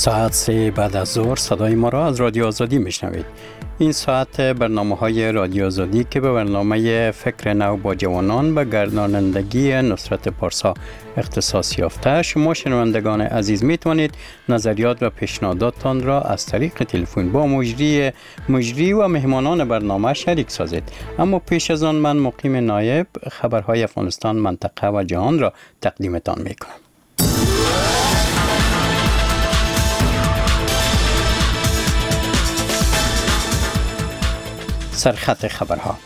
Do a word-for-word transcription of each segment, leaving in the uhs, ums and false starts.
ساعت سه بعد از ظهر صدای ما را از رادیو آزادی میشنوید. این ساعت برنامه های رادیو آزادی که به برنامه فکر نو با جوانان و گردانندگی نصرت پارسا اختصاص یافته، شما شنوندگان عزیز میتوانید نظریات و پیشنهاداتتان را از طریق تلفن با مجری مجری و مهمانان برنامه شریک سازید. اما پیش از آن من مقیم نایب خبرهای افغانستان، منطقه و جهان را تقدیمتان میکنم. سرخط خبرها: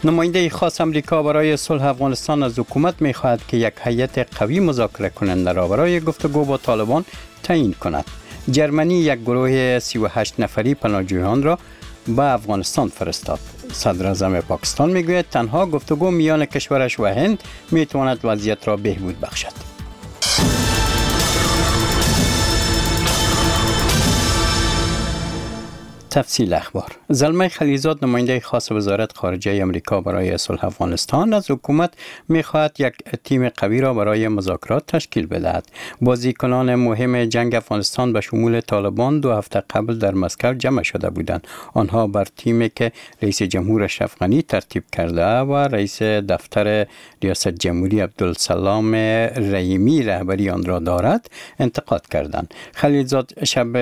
نماینده خاص امریکا برای صلح افغانستان از حکومت می‌خواهد که یک هیئت قوی مذاکره کننده را برای گفتگو با طالبان تعیین کند. جرمنی یک گروه سی و هشت نفری پناهجویان را به افغانستان فرستاد. صدراعظم پاکستان میگوید تنها گفتگو میان کشورش و هند میتواند وضعیت را بهبود بخشد. تفصیل اخبار. زلمی خلیلزاد نماینده خاص وزارت خارجه امریکا برای صلح افغانستان از حکومت میخواهد یک تیم قوی را برای مذاکرات تشکیل بدهد. بازیکنان مهم جنگ افغانستان به شمول طالبان دو هفته قبل در مسکو جمع شده بودند. آنها بر تیمی که رئیس جمهور اشرف غنی ترتیب کرده و رئیس دفتر ریاست جمهوری عبدالسلام رحیمی رهبری آن را دارد انتقاد کردند. خلیلزاد شب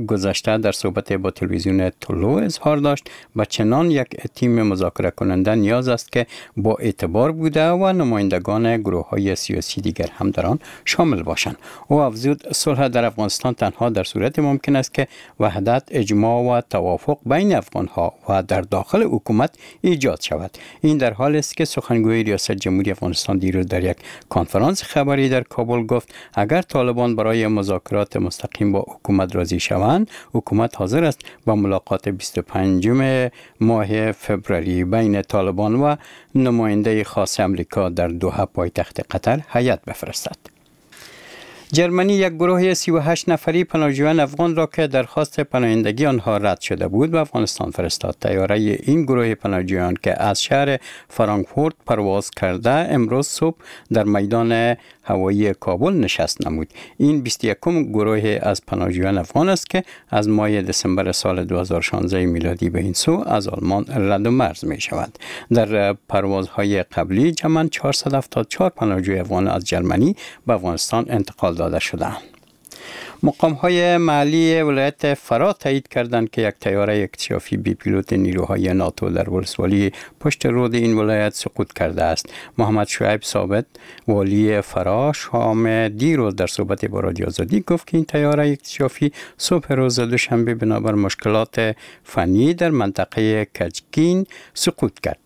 گذشته در صحبت با تلویزیون طلوع اظهار داشت و چنان یک تیم مذاکره کننده نیاز است که با اعتبار بوده و نمایندگان گروه های سیاسی دیگر هم در آن شامل باشند. او افزود صلح در افغانستان تنها در صورت ممکن است که وحدت، اجماع و توافق بین افغانها و در داخل حکومت ایجاد شود. این در حال است که سخنگوی ریاست جمهوری افغانستان دیروز در یک کنفرانس خبری در کابل گفت اگر طالبان برای مذاکرات مستقیم با حکومت راضی شوند، حکومت حاضر است با ملاقات بیست و پنجم ماه فوریه بین طالبان و نماینده خاص امریکا در دوحه پایتخت قطر هیئت بفرستد. جرمنی یک گروه سی و هشت نفری پناهجویان افغان را که درخواست پناهندگی آنها رد شده بود به افغانستان فرستاد. طیاره این گروه پناهجویان که از شهر فرانکفورت پرواز کرده امروز صبح در میدان هوایی کابل نشست نمود. این بیست و یکم گروه از پناهجویان افغان است که از ماه دسامبر سال دو هزار و شانزده میلادی به این سو از آلمان رد و مرز می شود. در پروازهای قبلی جمعاً چهارصد و هفتاد و چهار پناهجوی افغان از جرمنی به افغانستان انتقال داده شدند. مقام های محلی ولایت فراه تایید کردند که یک طیاره اکتشافی بی پیلوت نیروهای ناتو در ولسوالی پشت رود این ولایت سقوط کرده است. محمد شعیب ثابت والی فراه شام دیروز در صحبت با رادیو آزادی گفت که این طیاره اکتشافی صبح روز دوشنبه بنابر مشکلات فنی در منطقه کجکین سقوط کرد.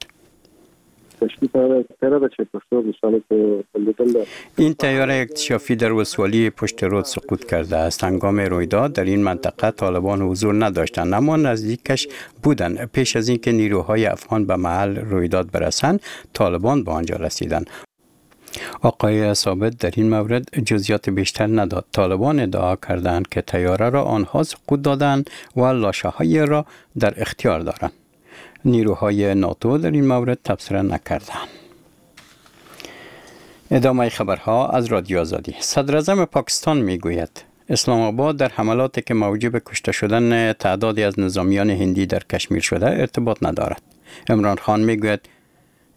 این طیاره اکتشافی در ولسوالی پشت رود سقوط کرده است. هنگام رویداد در این منطقه طالبان حضور نداشتند، اما نزدیکش بودند. پیش از اینکه نیروهای افغان به محل رویداد برسند، طالبان به آنجا رسیدند. آقای ثابت در این مورد جزئیات بیشتر نداد. طالبان ادعا کردند که طیاره را آنها سقوط دادند و لاشه‌های را در اختیار دارند. نیروهای ناتو در این مورد تبصره نکردند. ادامه خبرها از رادیو آزادی. صدراعظم پاکستان میگوید اسلام آباد در حملاتی که موجب کشته شدن تعدادی از نظامیان هندی در کشمیر شده ارتباط ندارد. عمران خان میگوید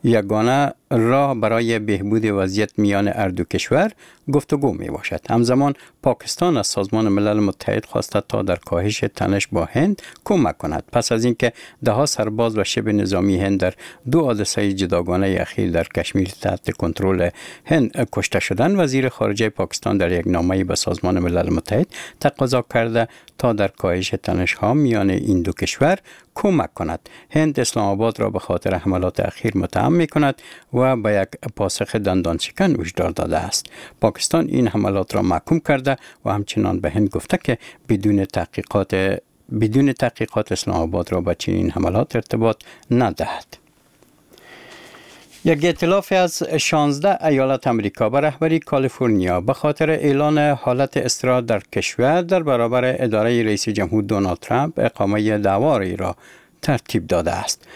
یگانه راه برای بهبود وضعیت میان هر دو کشور گفتگو می باشد. همزمان پاکستان از سازمان ملل متحد خواسته تا در کاهش تنش با هند کمک کند. پس از اینکه دهها سرباز و شبه نظامی هند در دو حادثه جداگانه اخیر در کشمیر تحت کنترل هند کشته شدند، وزیر خارجه پاکستان در یک نامه به سازمان ملل متحد تقاضا کرده تا در کاهش تنش ها میان این دو کشور کمک کند. هند اسلام آباد را به خاطر حملات اخیر متهم می کند و به یک پاسخ دندان شکن هشدار داده است. پاکستان این حملات را محکوم کرده و همچنان به هند گفته که بدون تحقیقات بدون تحقیقات اسلام آباد را به چنین حملات ارتباط ندهد. یک ائتلاف از شانزده ایالت امریکا به رهبری کالیفرنیا به خاطر اعلان حالت اضطرار در کشور در برابر اداره رئیس جمهور دونالد ترامپ اقامه دعواری را ترتیب داده است.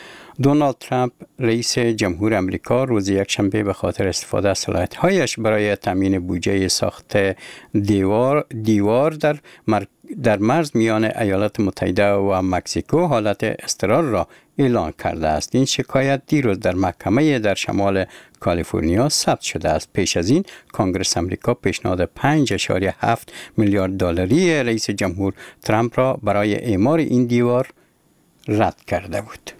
دونالد ترامپ رئیس جمهور امریکا روز یکشنبه به خاطر استفاده از صلاحیت‌هایش برای تامین بودجه ساخت دیوار دیوار در مر... در مرز میان ایالات متحده و مکزیکو حالت اضطرار را اعلان کرده است. این شکایت دیروز در محکمه در شمال کالیفرنیا ثبت شده است. پیش از این کانگرس امریکا پیشنهاد پنج اعشاریه هفت میلیارد دلاری رئیس جمهور ترامپ را برای اعمار این دیوار رد کرده بود.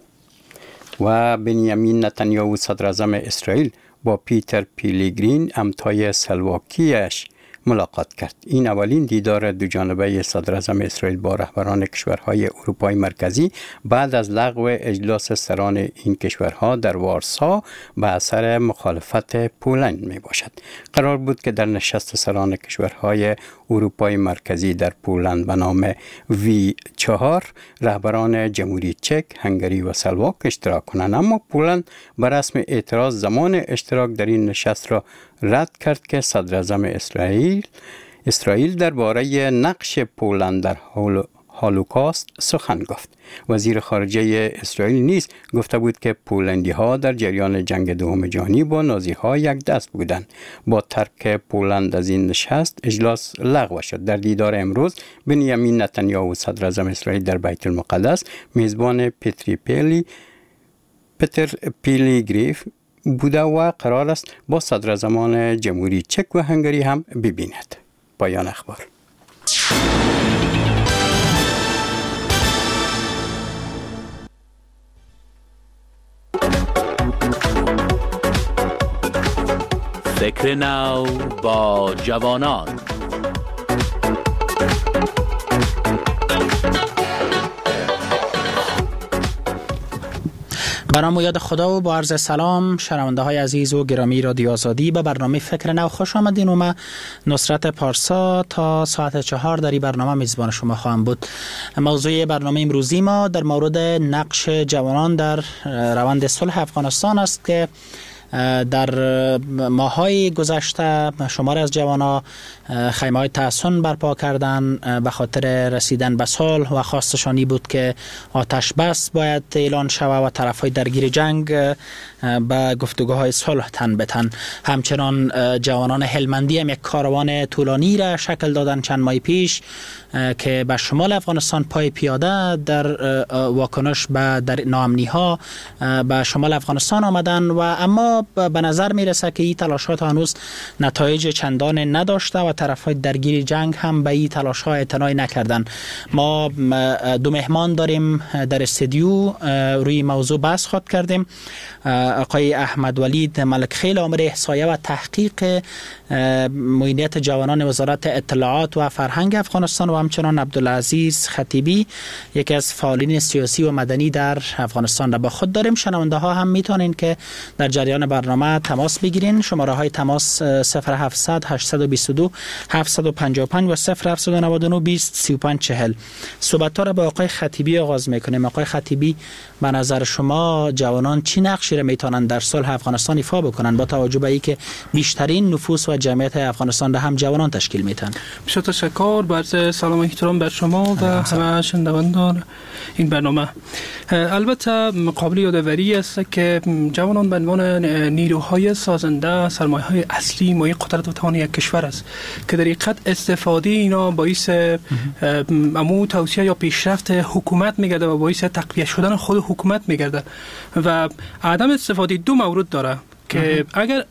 و بنیامین نتانیاهو صدراعظم اسرائیل با پیتر پیلیگرین همتای سلواکیش ملاقات کرد. این اولین دیدار دو جانبه صدراعظم اسرائیل با رهبران کشورهای اروپای مرکزی بعد از لغو اجلاس سران این کشورها در وارسا به اثر مخالفت پولند می باشد. قرار بود که در نشست سران کشورهای اروپای مرکزی در پولند به نام وی چهار رهبران جمهوری چک، هنگری و سلواک اشتراک کنند، اما پولند به رسم اعتراض زمان اشتراک در این نشست را رد کرد که صدراعظم اسرائیل اسرائیل درباره نقش پولند در هولوکاست سخن گفت. وزیر خارجه اسرائیل نیز گفته بود که پولندی ها در جریان جنگ دوم جهانی با نازی ها یک دست بودند. با ترک پولند از این نشست اجلاس لغو شد. در دیدار امروز بنیامین نتانیاهو صدراعظم اسرائیل در بیت المقدس میزبان پتری پیلی پتر پیلی گریف بوده و قرار است با صدراعظمان جمهوری چک و هنگری هم ببیند. پایان اخبار. فکر نو با جوانان. برنامه یاد خدا و با عرض سلام شنونده های عزیز و گرامی رادیو آزادی به برنامه فکر نو خوش آمدین. و من نصرت پارسا تا ساعت چهار در این برنامه میزبان شما خواهم بود. موضوع برنامه امروزی ما در مورد نقش جوانان در روند صلح افغانستان است که در ماهای گذشته شماری از جوانان خیمه های تحصن برپا کردن به خاطر رسیدن به صلح و خواستشانی بود که آتش بس باید اعلان شود و طرف های درگیر جنگ به گفتگوهای صلح تن بتن. همچنان جوانان هلمندی هم یک کاروان طولانی را شکل دادن چند ماه پیش که به شمال افغانستان پای پیاده در واکنش به در ناامنی ها به شمال افغانستان آمدن و اما به نظر میرسه که این تلاشات هنوز نتایج چندان نداشته و طرف‌های درگیر جنگ هم به این تلاش‌ها اعتنای نکردن. ما دو مهمان داریم در استودیو، روی موضوع بحث خواهد کردیم. آقای احمد ولید ملک خیل، آمر احصایه و تحقیق معینیت جوانان وزارت اطلاعات و فرهنگ افغانستان، و همچنان عبدالعزیز خطیبی، یکی از فعالین سیاسی و مدنی در افغانستان را با خود داریم. شنونده ها هم میتونین که در جریان برنامه تماس بگیرین. شماره های تماس صفر هفتصد هشتصد و بیست و دو هفتصد و پنجاه و پنج و صفر هفتصد و نود و نه بیست سی و پنج چهل. صحبت ها را با آقای خطیبی آغاز میکنیم. آقای خطیبی، به نظر شما جوانان چی نقشی را میتونن در صلح افغانستان ایفا بکنن با توجه به اینکه بیشترین نفوس و جمعیت افغانستان را هم جوانان تشکیل میتن؟ بسیار تشکر، با عرض سلام و احترام بر شما و همه شنوندگان این برنامه. البته قابل یادآوری است که جوانان به عنوان نیروهای سازنده، سرمایه‌های اصلی مایه قدرت و توان یک کشور است که در حقیقت استفاده اینا باعث امو توسعه یا پیشرفت حکومت میگرده و باعث تقویت شدن خود حکومت میگرده و عدم استفاده دو مورد داره که اگر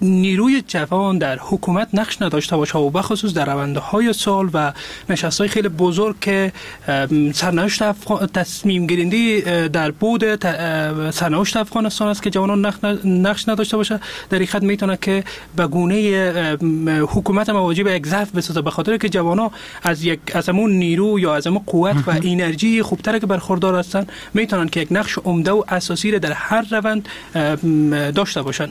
نیروی جوان در حکومت نقش نداشته باشه و بخصوص در روندهای سال و نشست‌های خیلی بزرگ که سرنوشت افغان تصمیم گیرنده در بود سرنوشت افغانستان است که جوانان نقش نداشته باشه، در حقیقت میتونه که به گونه حکومت مواجه به یک ضعف بسازه، به خاطر که جوانان از یک از همون نیرو یا از همون قوت و انرژی خوبتر که برخوردار هستن میتونن که یک نقش عمده و اساسی را در هر روند داشته باشن.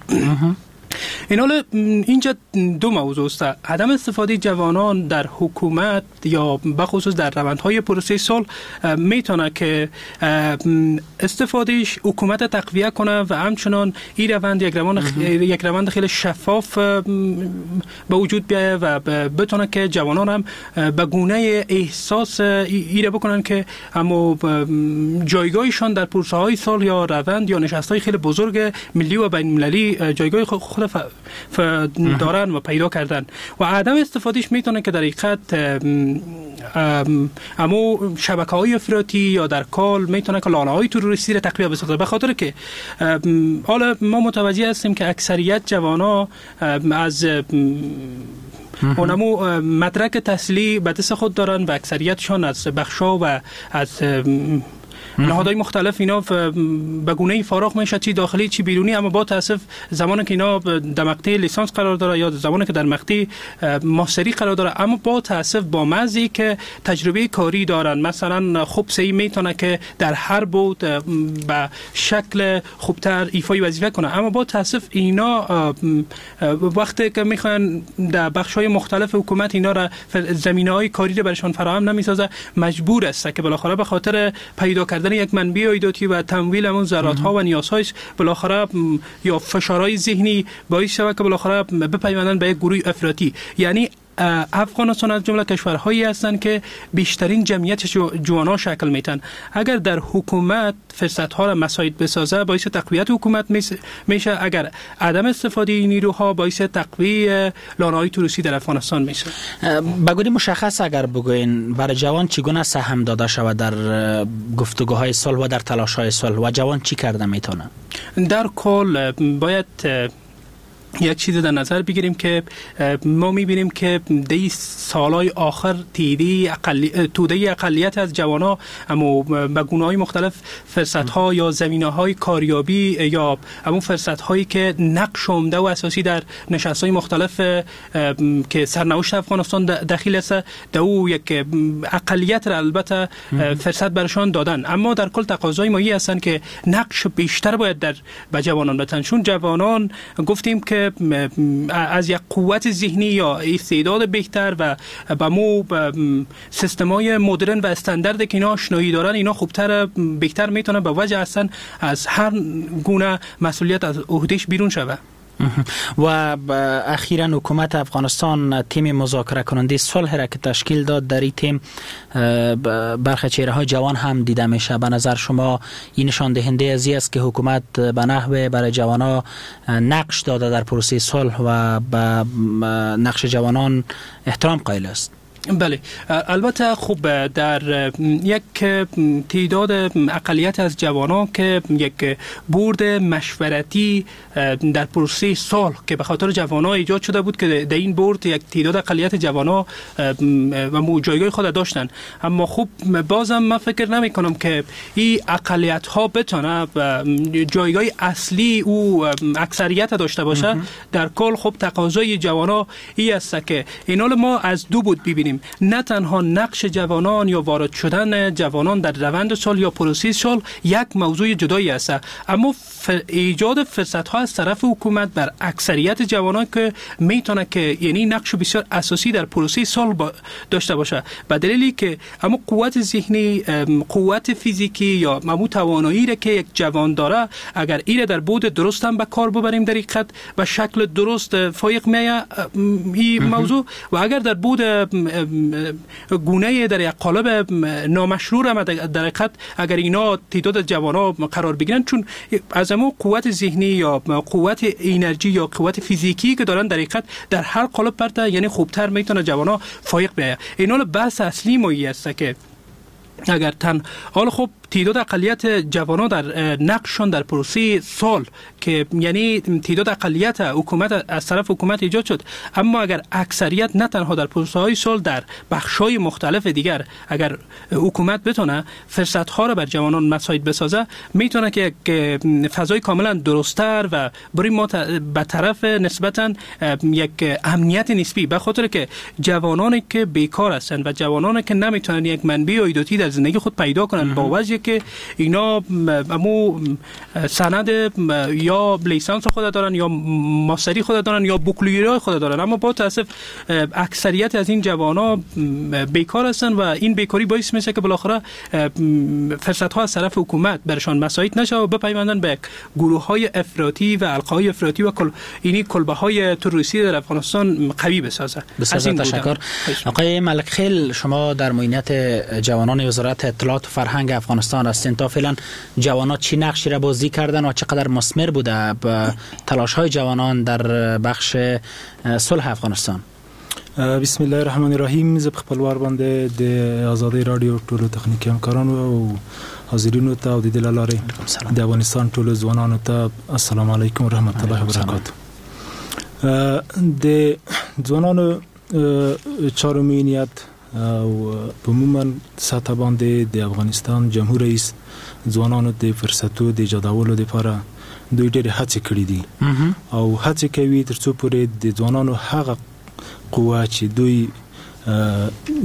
این حال اینجا دو موضوع است: عدم استفاده جوانان در حکومت یا بخصوص در روندهای پروسه صلح میتونه که استفادهش حکومت تقویه کنه و همچنان این روند یک روند یک روند خیلی شفاف به وجود بیایه و بتونه که جوانان هم به گونه احساس ایره بکنن که اما جایگاهشان در پروسه های صلح یا روند یا نشست های خیلی بزرگ ملی و بین المللی جایگاه خود ف... ف... دارن و پیدا کردن. و عدم استفادهش میتونه که در حقیقت اما شبکه های افراطی یا در کال میتونه که لانه های تروریستی را تقویت بسازه، به خاطر که حالا ما متوجه هستیم که اکثریت جوانا از اونمو مدرک تحصیلی به دست خود دارن و اکثریتشان از بخشا و از نهادهای مختلف اینا به گونه فراغ میشه، چی داخلی چی بیرونی. اما با تاسف زمانی که اینا در مقطع لیسانس قرار داره یا زمانی که در مقطع ماستری قرار داره، اما با تاسف با مزی که تجربه کاری دارن، مثلا خوب سعی میتونه که در هر بود به شکل خوبتر ایفای وظیفه کنه، اما با تاسف اینا وقتی که میخوان در بخش‌های مختلف حکومت اینا را زمینه‌های کاری را برشان فراهم نمیسازه، مجبور است که بالاخره به خاطر پیدا کردن یک منبع عایداتی و تمویل همون ضرورت ها و نیازهایش بالاخره یا فشارهای ذهنی باعث شود که بالاخره بپیوندن به یک گروه افراطی. یعنی افغانستان از جمله کشورهایی هستند که بیشترین جمعیت جوانان شکل میتن. اگر در حکومت فرصت ها را مساعد بسازه باعث تقویت حکومت میشه، اگر عدم استفاده نیروها باعث تقویت لانه‌های تروریستی در افغانستان میشه. به گونه مشخص اگر بگوین برای جوان چگونه سهم داده شود در گفتگوهای صلح و در تلاش‌های صلح و جوان چی کرده میتونه؟ در کل باید یک چیز در نظر بگیریم که ما میبینیم که دی سالهای آخر تیدی اقلی... توده اقلیت از جوانها اما به گونه‌های مختلف فرصت‌ها یا زمینه‌های کاریابی یا همون فرصت‌هایی که نقش عمده و اساسی در نشست‌های مختلف که سرنوشت افغانستان دخیل است در او یک اقلیت را البته فرصت برشان دادن. اما در کل تقاضای ما این هستند که نقش بیشتر باید در به جوانان بدن، چون جوانان گفتیم که از یک قوت ذهنی یا استعداد بهتر و به مو سیستم‌های مدرن و استاندارد که اینا آشنایی دارن، اینا خوبتر بهتر میتونن به وجه هستن از هر گونه مسئولیت از عهدهش بیرون شوه. و اخیرا حکومت افغانستان تیم مذاکره کننده صلح را که تشکیل داد، در این تیم برخی چهره های جوان هم دیده میشه. به نظر شما این نشان دهنده از این است که حکومت به نحو برای جوانها نقش داده در پروسه صلح و به نقش جوانان احترام قائل است؟ بله، البته خوب در یک تعداد اقلیت از جوانان که یک بورد مشورتی در پروسه صلح که به خاطر جوانان ایجاد شده بود که در این بورد یک تعداد اقلیت جوانان و جایگاه خود داشتن، اما خوب بازم من فکر نمی کنم که این اقلیت ها بتونه جایگاه اصلی او اکثریت داشته باشه. در کل خوب تقاضای جوانان این است که اینا ما از دو بود ببینیم، نه تنها نقش جوانان یا وارد شدن جوانان در روند صلح یا پروسه صلح یک موضوع جدایی است، اما ف... ایجاد فرصت ها از طرف حکومت بر اکثریت جوانان که میتونه که یعنی نقش بسیار اساسی در پروسه صلح با... داشته باشه، به دلیلی که اما قوت ذهنی، قوت فیزیکی یا ممو توانایی را که یک جوان داره، اگر ایره در بود درست هم به کار ببریم در حقیقت به شکل درست فایق میایه این موضوع، و اگر در بود گونه در یک قالب نامشروع هم در حقیقت اگر اینا تعداد جوانا قرار بگیرن، چون از امو قوت ذهنی یا قوت انرژی یا قوت فیزیکی که دارن در حقیقت در هر قالب پرته یعنی خوبتر میتونه جوانا فایق بیاید. اینا بحث اصلی ما است که اگر تن حالا خب تعداد اقلیت جوانان در نقششان در پروسه صلح که یعنی تعداد اقلیت حکومت از طرف حکومت ایجاد شد، اما اگر اکثریت نه تنها در پروسه های صلح در بخش های مختلف دیگر اگر حکومت بتونه فرصت ها را بر جوانان مساعد بسازه، میتونه که یک فضای کاملا درستتر و برای ما به طرف نسبتا یک امنیت نسبی، به خاطر که جوانانی که بیکار هستند و جوانانی که نمیتونن یک منبع عایداتی در زندگی خود پیدا کنند با وجه که اینا امو سند یا لیسانس خود دارن یا ماستری خود دارن یا بکالوریای خود دارن، اما با تاسف اکثریت از این جوان‌ها بیکار هستن و این بیکاری باعث میشه که بالاخره فرصت ها از طرف حکومت برشان مساعد نشه و بپیوندن به گروه های افراطی و القای افراطی و کل اینی کلبه های تروریستی در افغانستان قوی بسازه. بسیار تشکر. آقای ملک خیل، شما در معینیت جوانان وزارت اطلاعات و فرهنگ افغانستان هستین. تا فعلا جوانان چی نقشی را بازی کردن و چقدر مثمر بوده به تلاش های جوانان در بخش صلح افغانستان؟ بسم الله الرحمن الرحیم. زه په خپل وار باندې د ازادۍ رادیو ټولو تخنیکي همکارانو او حاضرینو ته او د دې لارې د افغانستان ټولو ځوانانو ته السلام علیکم ورحمت الله وبرکاته. د ځوانانو چارو معینیت او په عموما سطح باندې د افغانستان جمهور رئیس ځوانانو د فرصتو د ایجادولو لپاره دوی ډېرې هڅې کړې دي او هڅې کوي ترڅو پورې د ځوانانو هغه قوه چې دوی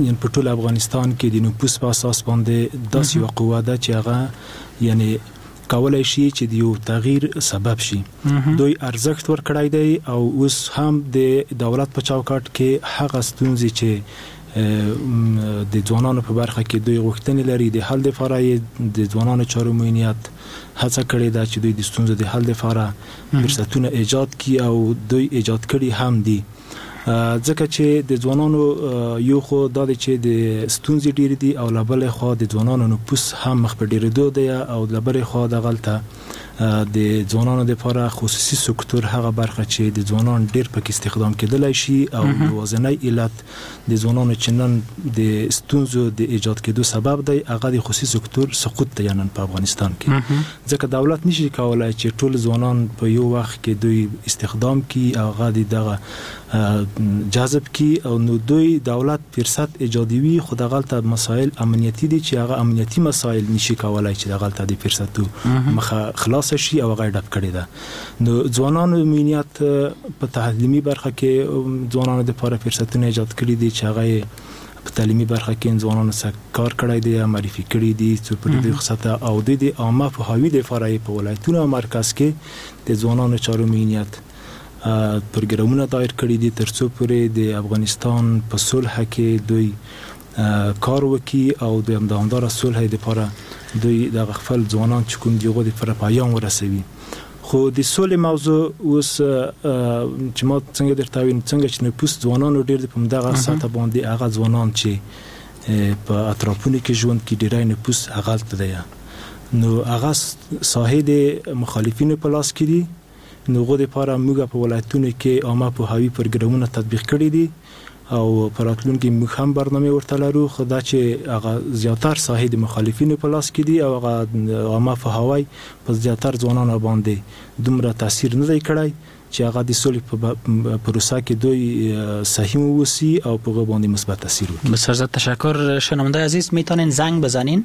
یعنی په ټول افغانستان کې د نفوس په اساس باندې داسې یوه قوه ده چې هغه یعنی کولای شي چې د یو تغییر سبب شي. دوی ارزښت ورکړی دی او اوس هم د دولت په چوکاټ کې هغه ستونزې چې د ځوانانو په برخه کې دوی غوښتنې لري د حل لپاره یې د ځوانانو چارو معینیت هڅه کړې ده چې دوی د ستونزو د حل لپاره فرصتونه ایجاد کړي او دوی ایجاد کړي هم دي. ځکه چې د ځوانانو یو خو دا دی چې د ستونزې ډېرې دي او له بلې خوا د ځوانانو نفوس هم مخ په ډېرېدو دی او له بلې خوا دغلته د ځوانانو دپاره خصوصي سکتور هغه برخه چې د ځوانان ډېر پکې استخدام کېدلی شي او یوازینی علت د ځوانانو چې نن د ستونزو د ایجاد کېدو سبب دی هغه د خصوصي سکتور سقوط دی نن په افغانستان کې. ځکه دولت نشي کولای چې ټول ځوانان په یو وخت کې دوی استخدام کړي او هغه د دغه جذب کړي او نو دوی دولت فرصت ایجادوي، خو دغلته مسایل امنیتي دي چې هغه امنیتي مسایل نشي کولای چې دغلته د فرصتو مخه خلاص شي او هغه ډب کړې ده. نو ځوانانو معینیت په تعلیمي برخه کې ځوانانو دپاره فرصتونه ایجاد کړي دي چې هغه په تعلیمي برخه کې ځوانانو سره کار کړی دی، معرفي کړي دي څو پورې دوی سطح او دوی د عامه پوهاوي دپاره یې په ولایتونو او مرکز کې د ځوانانو چارو معینیت پروګرامونه دایر کړي دي ترڅو پورې د افغانستان په صلح کې دوی کار وکړي او د دوامداره صلح دپاره دوی دغه خپل ځوانان چې کوم دي هغو دپاره پیام ورسوي. خو د سولې موضوع اوس چې ما څنګه درته ویم څنګه چې نفوس ځوانانو ډېر دی په همدغه سطح باندې هغه ځوانان چې په اطرافونو کې ژوند کې ډېری نفوس هغلته دی نو هغه ساحې د مخالفینو په لاس کې دي. نو هغو دپاره موږ په ولایتونو کې عامه پوهاوي پروګرامونه تطبیق کړي دي او په راتلونکي موږ هم برنامې ورته لرو، خو دا چې هغه زیاتر ساحې د مخالفینو په لاس کې دي او هغه عامه پوهاوی په زیاتر ځوانانو باندې دومره تاثیر نه دی کړی چې هغه د سولې په پروسه کې دوی سهیم ووسی او په هغه باندې مثبت تاثیر وکړي. بسیار تشکر. شنونده عزیز میتونین زنگ بزنین،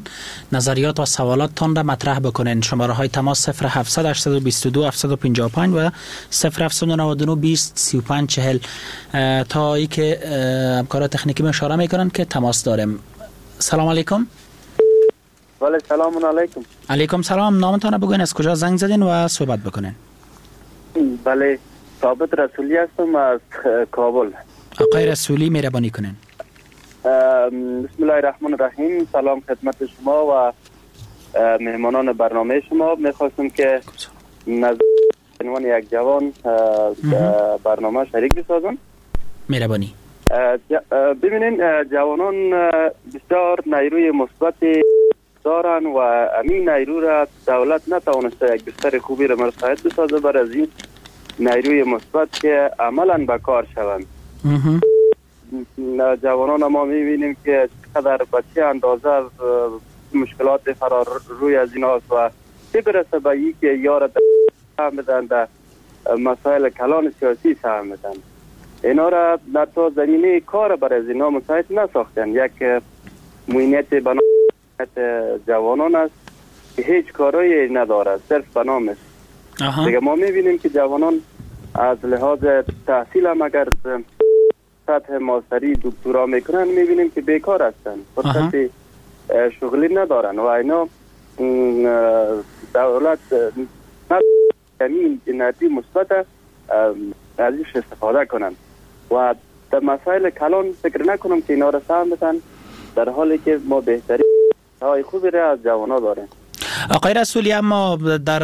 نظریات و سوالاتتان را مطرح بکنین. شماره های تماس صفر هفت هشت دو دو هفت پنج پنج و صفر هفت نه نه بیست سی و پنج چهل تا ای که همکاران تکنیکی می اشاره میکنن که تماس داریم. سلام علیکم. بله سلام علیکم. علیکم سلام. نامتان بگوین، از کجا زنگ زدین و صحبت بکنین. بله ثابت رسولی هستم از کابل. آقای رسولی مهربانی کنین. بسم الله الرحمن الرحیم. سلام خدمت شما و مهمانان برنامه شما. میخواستم که نظر عنوان یک جوان برنامه شریک بسازم. مهربانی. ببینین جوانان بسیار نیروی مثبت دارن و امین نیرو را دولت نتوانسته یک بستر خوبی را مساعد بسازه بر از این نیروی مثبت که عملا به کار شوند. جوانان ما میبینیم که چقدر به چه اندازه مشکلات فرار روی از این هاست و چه برسه به ای که یار سهم بدن در مسائل کلان سیاسی سهم بدن. اینا را تا زمینه کار بر از اینا مساعد نساختن. یک معینیت بنا جوانان است که هیچ کارایی نداره، صرف به نام است. دیگه ما میبینیم که جوانان از لحاظ تحصیل هم اگر سطح ماستری دکترا میکنن میبینیم که بیکار هستن، فرصت شغلی ندارن و اینا دولت یعنی انرژی مثبت ازش استفاده کنن و در مسائل کلان فکر نکنم که اینا را سهم بدن، در حالی که ما بهترین های خوبی را از جوانا داریم. آقای رسولی، اما در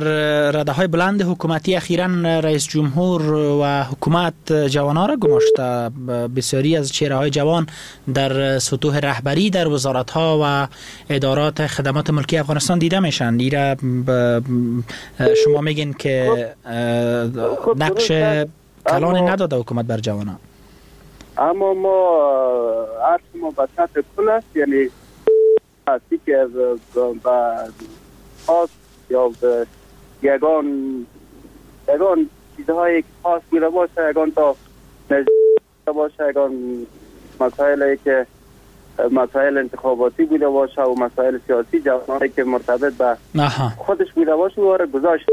رده های بلند حکومتی اخیراً رئیس جمهور و حکومت جوانها را گماشته. بسیاری از چهره های جوان در سطوح رهبری در وزارت ها و ادارات خدمات ملکی افغانستان دیده میشن. ایره شما میگین که نقش کلانی نداده حکومت بر جوانان. اما ما عرض ما به سطح کل است، یعنی هستی که به خاص یا به یگان یگان چیزهایی که خاص بوده باشه، یگان تا نزدیک باشه، یگان مسائلی که مسائل انتخاباتی بوده باشه و مسائل سیاسی جوانایی که مرتبط به خودش بوده باشه و را گذاشت.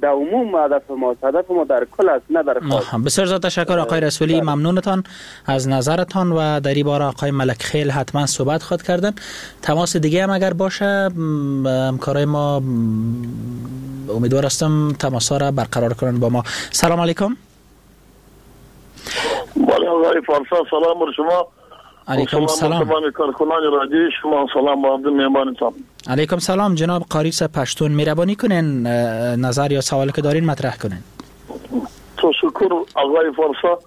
در عموم هدف ما هدف ما در کل است، نه در خاص. بسیار زیاد تشکر آقای رسولی، ممنونتان از نظرتان و در این باره آقای ملک خیل حتما صحبت خواهد کردن. تماس دیگه هم اگر باشه همکارای ما امیدوار هستم تماس ها را برقرار کنن با ما. سلام علیکم. بله آقای پارسا، سلام بر شما. علیکم سلام. تمام کارکنان رادیو شما، سلام با عبد مهمانتان. علیکم سلام جناب قاری صاحب پشتون، مهربانی کنین نظر یا سوال که دارین مطرح کنین. تشکر آقای پارسا،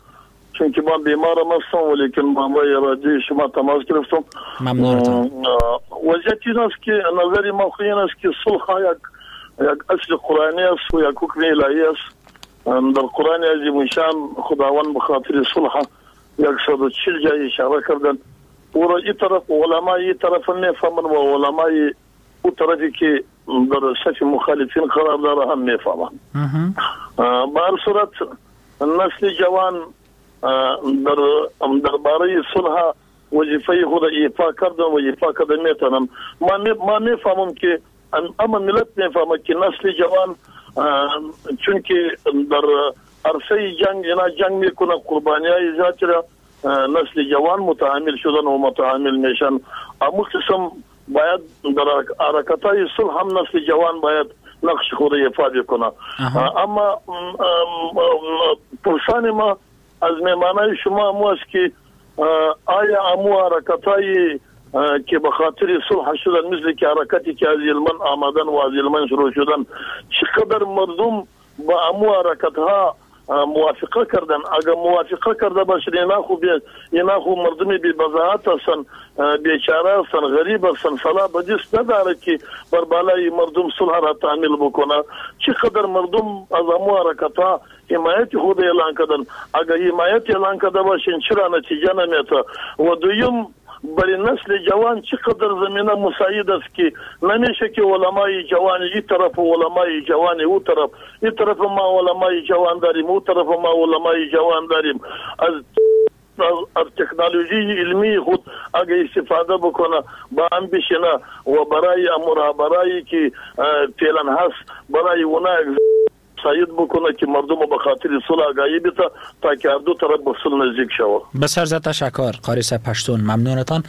چون که من بیمارم هستم ولیکن با رادیو شما تماس گرفتم. ممنونتان. وضعیت این است که نظر ما این است که صلح یک یک اصل قرآنی است و یک حکم الهی است. در قرآن عظیم شان خداوند به خاطر صلح صد و چهل جای اشاره کردن. او را این طرف علمای این طرف میفهمن و علمای او طرفی که در صف مخالفین قرار داره هم میفهمن. به هر صورت نسل جوان در درباره صلح وظیفه خود ایفا کردن و ایفا کرده میتونم. ما میفهمم که اما ملت میفهمه که نسل جوان چون که در عرصه جنگ اینا جنگ میکنه، قربانی های زیاد را نسل جوان متحمل شدن و متحمل میشن. اما قسم باید در حرکت های صلح هم نسل جوان باید نقش خود ایفا بکنه. اما پرسان ما از مهمانای شما امو است که آیا امو حرکت های که به خاطر صلح شدن، مثل که حرکتی که از یلمن آمدن و از یلمن شروع شدن، چقدر مردم با امو حرکت ها موافقه کردن؟ اگر موافقه کرده باشن اینا خو اینا خو مردم بی بضاعت هستن، بیچاره هستن، غریب هستن، صلاح بدیست نداره که بر بالای مردم صلح را تعمیل بکنه. چقدر مردم از امو حرکت ها حمایت خود اعلان کردن؟ اگر حمایت اعلان کرده باشن چرا نتیجه نمیته؟ و دویم برای نسل جوان چقدر زمینه مساعد است که نمیشه که علمای جوان این طرف و علمای جوان او طرف، این طرف ما علمای جوان داریم، او طرف ما علمای جوان داریم. از از تکنولوژی علمی خود اگه استفاده بکنه با هم بشینه و برای امور برای که فعلا هست برای اونا سعید بکنه که مردم به خاطر صلح آگاهی بده تا که هر دو طرف به صلح نزدیک شود. بسیار زیاد تشکر قاری صاحب پشتون، ممنونتان.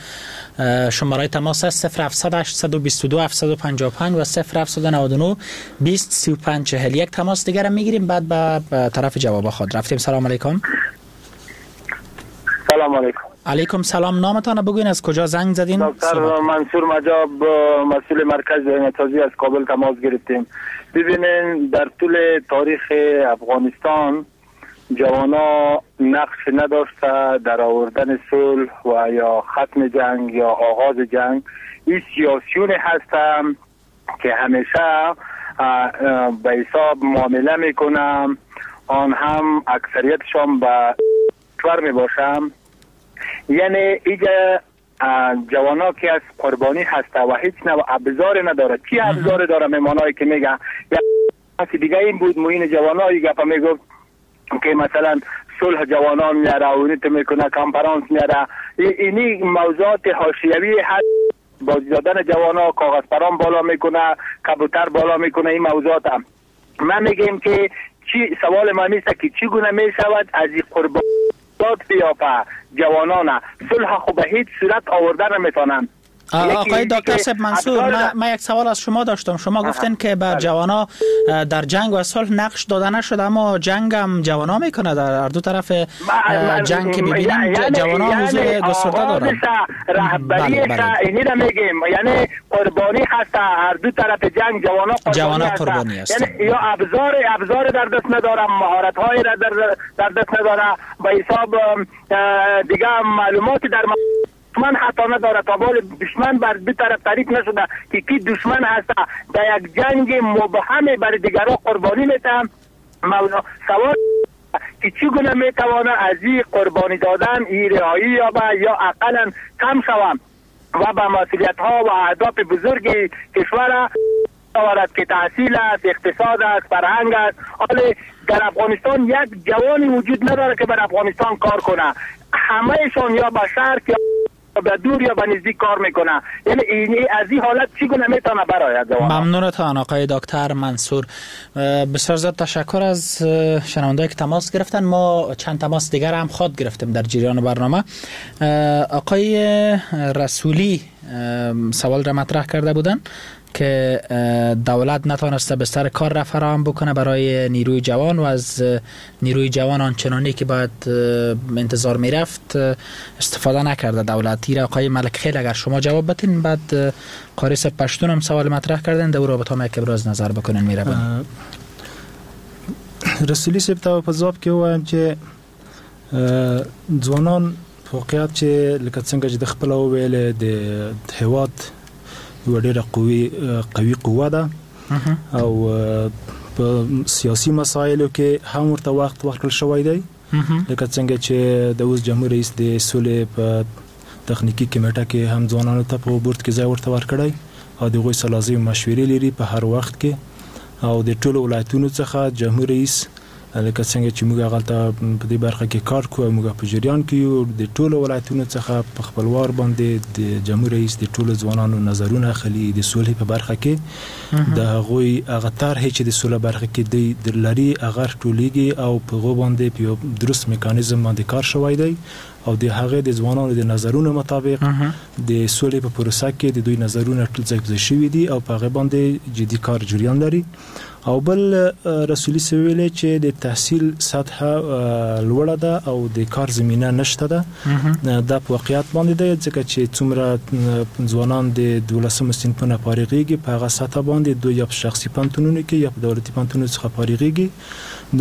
شماره تماس است صفر هفت هشت دو دو هفت پنج پنج و صفر هفت نه نه بیست سی و پنج چهل یک. تماس دیگر هم میگیریم بعد به طرف جواب خود رفتیم. سلام علیکم. سلام علیکم. علیکم سلام. نامتان بگوین از کجا زنگ زدین؟ دکتر منصور مجاب، مسئول مرکز ذهن‌سازی از کابل تماس گرفتیم. ببینین در طول تاریخ افغانستان جوانا نقش نداشته در آوردن صلح و یا ختم جنگ یا آغاز جنگ. این سیاسیون هستن که همیشه به حساب معامله میکنن، آن هم اکثریتشان به کشور میباشم. یعنی اینجا جوانا که از قربانی هسته و هیچ نوع ابزار نداره. چی ابزار داره؟ مهمانایی که میگن یک دیگه این بود معین جوانایی گپا میگفت که مثلا صلح جوانان میاره، اونیت میکنه، کنفرانس میاره. اینی موضوعات حاشیوی هست، بازی دادن جوانا، کاغذ پران بالا میکنه، کبوتر بالا میکنه، این موضوعات هم. من میگیم که چی سوال من نیست که چگونه میشود از این قربانی بیافه جوانان صلح خب به هیچ صورت آورده نمیتونن. آقای دکتر صاحب منصور، من یک سوال از شما داشتم. شما گفتین که بر جوانا در جنگ و صلح نقش داده نشده، اما جنگ هم جوانا میکنه. در دو طرف جنگ که ببینیم جوانا حضور گسترده دارن. رهبری اینی را میگیم، یعنی قربانی هست هر دو طرف جنگ، جوانا قربانی, جوانا قربانی هست. یعنی یا ابزار ابزار در دست نداره، مهارت های را در در دست نداره، به حساب دیگه معلومات در دشمن حتی نداره. تا بال دشمن بر دو طرف تعریف نشده که کی دشمن هست. در یک جنگ مبهم بر دیگران قربانی میتم. مولا سوال که چگونه میتوانه از این قربانی دادن ای رهایی یابه یا اقلا کم شوم و به مسئولیت ها و اهداف بزرگ کشور آورد که تحصیل است، اقتصاد است، فرهنگ است. حالا در افغانستان یک جوانی وجود نداره که بر افغانستان کار کنه. همهشان یا به شرق یا به دور یا به نزدیک کار میکنه. یعنی این از این حالت چگونه میتونه برآید؟ ممنونتان آقای دکتر منصور. بسیار زیاد تشکر از شنوندهایی که تماس گرفتن. ما چند تماس دیگر هم خواد گرفتیم در جریان برنامه. آقای رسولی سوال را مطرح کرده بودن که دولت نتانسته بستر کار را فراهم بکنه برای نیروی جوان و از نیروی جوان آنچنانی که باید انتظار میرفت استفاده نکرده دولت. را آقای ملک خیل اگر شما جواب بدین، بعد قاری صاحب پشتون هم سوال مطرح کردن، در رابطه هم یک ابراز نظر بکنن. میربان رسولی صاحب ته په ځواب کې ووایم چې ځوانان واقعیت چې لکه څنګه چې د خپله وویلې د هیواد یوه ډېره قوي قوي قوه ده او په سیاسي مسایلو کې هم ورته وخت ورکړل شوی دی. لکه څنګه چې د اوس جمهور رئیس د سولې په تخنیکي کمیټه کې هم ځوانانو ته په بورډ کې ځای ورته ورکړی او د هغوی سره لازمې مشورې لري په هر وخت کې. او د ټولو ولایتونو څخه جمهور رئیس لکه څنګه چې موږ هغلته په دې برخه کې کار کوو، موږ په جریان کې یو، د ټولو ولایتونو څخه په خپل وار باندې د جمهور رئیس د ټولو ځوانانو نظرونه اخلي د سولې په برخه کې. د هغوی هغه طرحې چې د سولې برخه کې دی لري هغه ټولېږي او په هغو باندې په یو درست میکانیزم باندې کار شوی دی او د هغې د ځوانانو د نظرونو مطابق د سولې په پروسه کې د دوی نظرونه ټول ځای په ځای شوي دي او په هغې باندې جدي کار جریان لري. او بل رسولي صاحب ویلې چې د تحصیل سطحه لوړه ده او د کار زمینه نشته ده. دا په واقعیت باندې دی، ځکه چې څومره ځوانان د دولسمو صنفونو فارغېږي په هغه سطحه باندې دوی یا په شخصي پوهنتونونو کې یا په دولتي پوهنتونونو څخه فارغېږي.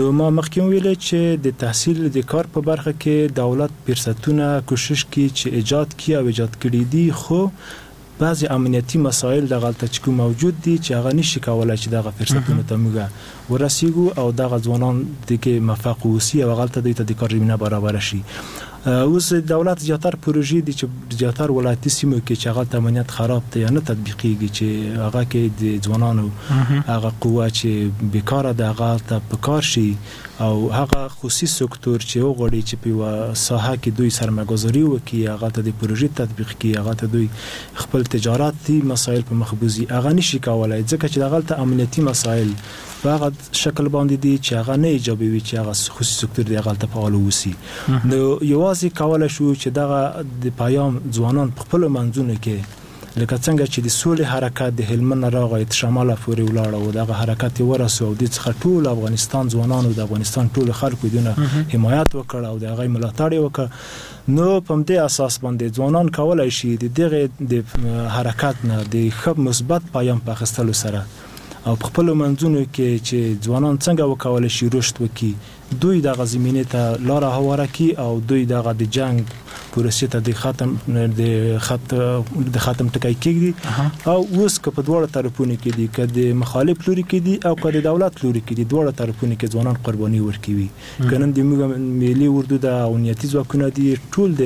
نو ما مخکې ویلې چې د تحصیل د کار په برخه کې دولت فرصتونه کوشش کوي چې ایجاد کړي او ایجاد کړي دي، خو بعضې امنیتي مسایل دغلته چې کوم موجود دي چې هغه نشي کولی چې دغه فرصتونو ته موږ ورسیږو او دغه ځوانان دې کې موفق اوسي او هغلته دوی ته د کار زمینه برابره شي. اوس دولت زیاتر پروژې دي چې زیاتر ولایتي سیمو کې چې هغلته امنیت خراب دی یا نه تطبیقېږي، چې هغه کې د ځوانانو هغه قوه چې بیکاره ده هغه هلته په کار شي او هغه خصوصي سکتور چې وغواړي چې په یوه ساحه کې دوی سرمایهګذاري وکړي، هغه ته د پروژې تطبیق کړي، هغه ته دوی خپل تجارتي مسایل په مخ بوځي، هغه نشي کولی، ځکه چې دغلته امنیتي مسایل په هغه شکل باندې دي چې هغه نه ایجابوي چې هغه خصوصي سکتور دی هغلته فعال اوسي. نو یوازې کولی شو چې دغه د پیام ځوانان په خپلو منځونو کې لکه څنګه چې د سولې حرکت د هلمند نه راغی تر شماله پورې ولاړه او دغه حرکت یې ورسو او دې څخه ټول افغانستان ځوانانو د افغانستان ټولو خلکو دونه حمایت وکړ او د هغې ملاتړ یې وکړ. نو په همدې اساس باندې ځوانان کولی شي د دغې د حرکت نه د ښه مثبت پیام په اخیستلو سره او په خپلو منځونو کې چې ځوانان څنګه وکولی شي رشد وکړي، دوی دغه زمینې ته لاره هواره کړي او دوی دغه د جنګ پروسې ته د ختم د خط د ختم ټکی کېږدي. او اوس که په دواړو طرفونو کې دي، که د مخالف لوري کې دي او که د دولت لوري کې دي، دواړو طرفونو کې ځوانان قرباني ورکوي. که نن د موږ ملي اردو ده او امنیتي ځواکونه دي، ټول د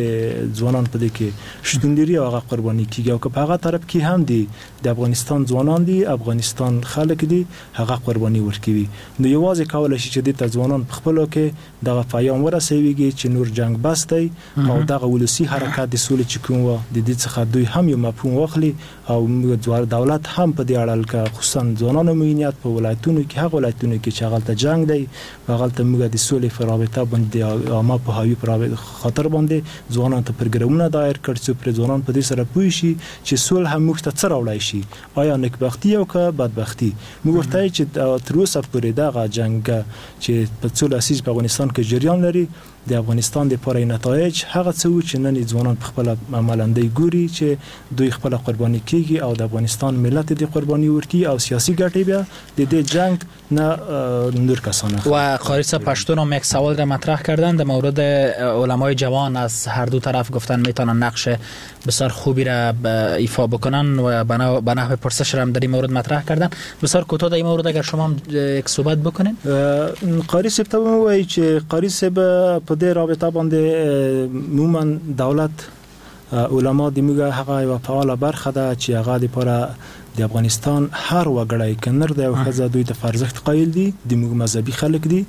ځوانان په دې کې شتون لري او هغه قرباني کېږي. او که په هغه طرف کې هم دي د افغانستان ځوانان دي، افغانستان خلک دي هغه قرباني ورکوي. نو یوازې کولی شي چې دې ته ځوانان په خپلو کې دغه پیام ورسويږي چې نور جنګ بس دی او دغه ولسي حرکت د سولې چې کوم وه د دې څخه دوی هم یو مفهوم واخلي او دولت هم په دې اړه لکه خصوصا ځوانانو معینیت په ولایتونو کې هغه ولایتونو کې چې هغلته جنګ دی هغلته موږ د سولې په رابطه باندې عامه پوهاوي په خاطر باندې ځوانانو ته پروګرامونه دایر کړ څو پرې ځوانان په دې سره پوه شي چې سول هم موږ ته څه راوړای شي، آیا نیکبختي او که بدبختي. موږ ورته وایو چې تر اوسه پورې دغه جنګ چې په څو لسیزې په افغانستان کې جریان لري د افغانستان دپاره نتایج هغه څه وو چې نن یې ځوانان په خپله عملاً دی ګوري چې دوی خپله قرباني کیږي او د افغانستان ملت دې قرباني ورکړي او سیاسي ګټې بیا د دې جنگ نه نور کسان. و قاری صاحب پشتون هم یک سوال را مطرح کردن در مورد علمای جوان از هر دو طرف گفتن میتونن نقش بسیار خوبی را ایفا بکنن و به نحو پرسش را هم در این مورد مطرح کردن. بسیار کوتاه در این مورد اگر شما هم یک صحبت بکنین. قاری صاحب ته وایي چې قاری صاحب په دې رابطه باندې عموما دولت علما د موږ هغه یوه فعاله برخه ده چې هغه دپاره د افغانستان هر وګړی که نر دی او ښځه دوی ته په ارزښت قایل دي، د موږ مذهبي خلک دي،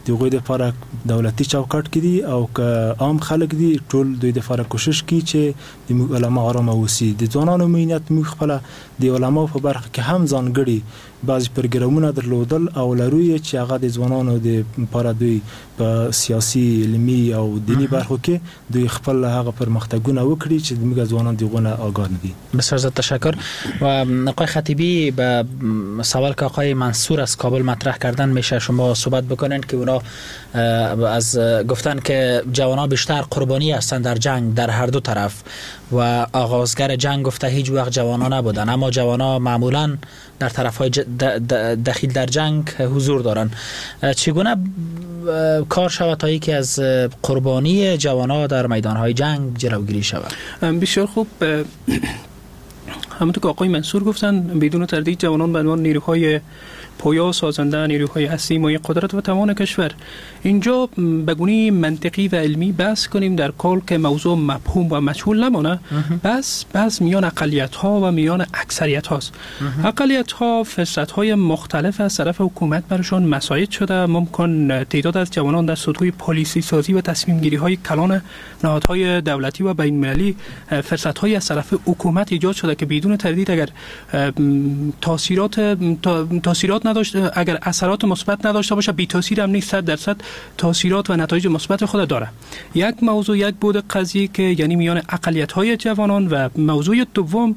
د هغوی دپاره دولتي چوکاټ کې دي او که عام خلک دي ټول دوی دپاره کوشش کوي چې د موږ علما آرامه اوسي. د ځوانانو معینیت موږ خپله د علماو په برخه کې هم ځانګړي بعضې پروګرامونه درلودل او لرو یې چې هغه د ځوانانو دپاره دوی په سیاسي، علمي او دیني برخو کې دوی خپل هغه پرمختګونه وکړي چې موږ ځوانان د هغو نه آګاه نه دي. بسیار زیاد تشکر. و آقای خطیبی به سوال که آقای منصور از کابل مطرح کردن میشه شما صحبت بکنین که اونا از گفتن که جوانان بیشتر قربانی هستند در جنگ در هر دو طرف و آغازگر جنگ گفته هیچ وقت جوانان نبودن، اما جوانان معمولا در طرف های دخیل در جنگ حضور دارن. چگونه کار شود تا یکی از قربانی جوانان در میدان های جنگ جلوگیری شود؟ بسیار خوب، همونطور که آقای منصور گفتن بدون تردید جوانان به عنوان نیروهای پویا سازنده، نیروهای اصلی مایه قدرت و توان کشور. اینجا به گونه منطقی و علمی بحث کنیم در کال که موضوع مفهوم و مجهول نمانه، بس بس میان اقلیت ها و میان اکثریت هاست. اقلیت ها فرصت های مختلف از طرف حکومت برشان مساعد شده، ممکن تعداد از جوانان در سطوح پالیسی سازی و تصمیم گیری های کلان نهادهای دولتی و بین المللی فرصت های از طرف حکومت ایجاد شده که بدون تردید اگر تاثیرات تاثیرات نداشت، اگر اثرات مثبت نداشته باشه بی تاثیر هم نیست، صد درصد تاثیرات و نتایج مثبت خود داره. یک موضوع یک بود قضیه که یعنی میان اقلیت های جوانان و موضوع دوم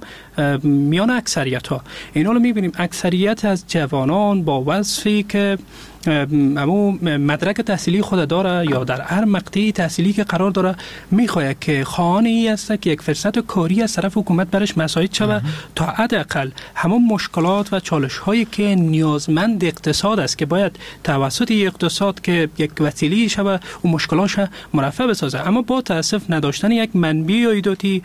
میان اکثریت ها. اینا رو میبینیم اکثریت از جوانان با وصفی که امو مدرک تحصیلی خود داره یا در هر مقطعی تحصیلی که قرار داره میخواد که خانه ای است که یک فرصت کاری از طرف حکومت برش مساعد شود تا حداقل همون مشکلات و چالش هایی که نیازمند اقتصاد است که باید توسط اقتصاد که یک وسیله شود و مشکلاتش مرفع بسازه. اما با تاسف نداشتن یک منبع عایداتی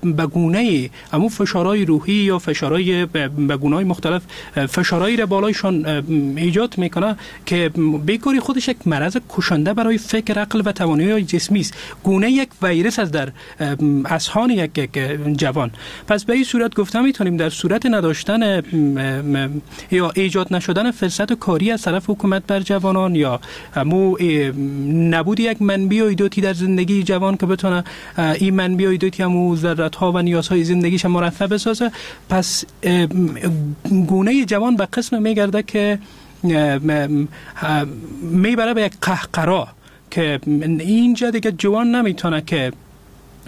به گونه امو فشارهای روحی یا فشارهای به گونه‌های مختلف فشارهایی را بالایشان ایجاد میکنه که بیکاری خودش یک مرض کشنده برای فکر، عقل و توانایی جسمی است، گونه یک ویروس است در اذهان یک جوان. پس به این صورت گفته میتونیم در صورت نداشتن یا ایجاد نشدن فرصت کاری از طرف حکومت بر جوانان یا مو نبود یک منبع عایداتی در زندگی جوان که بتونه این منبع عایداتی همو ضرورت ها و نیازهای زندگیش مرفع بسازه، پس گونه جوان به قسم میگرده که میبره به یک قهقرا که اینجا دیگه جوان نمیتونه که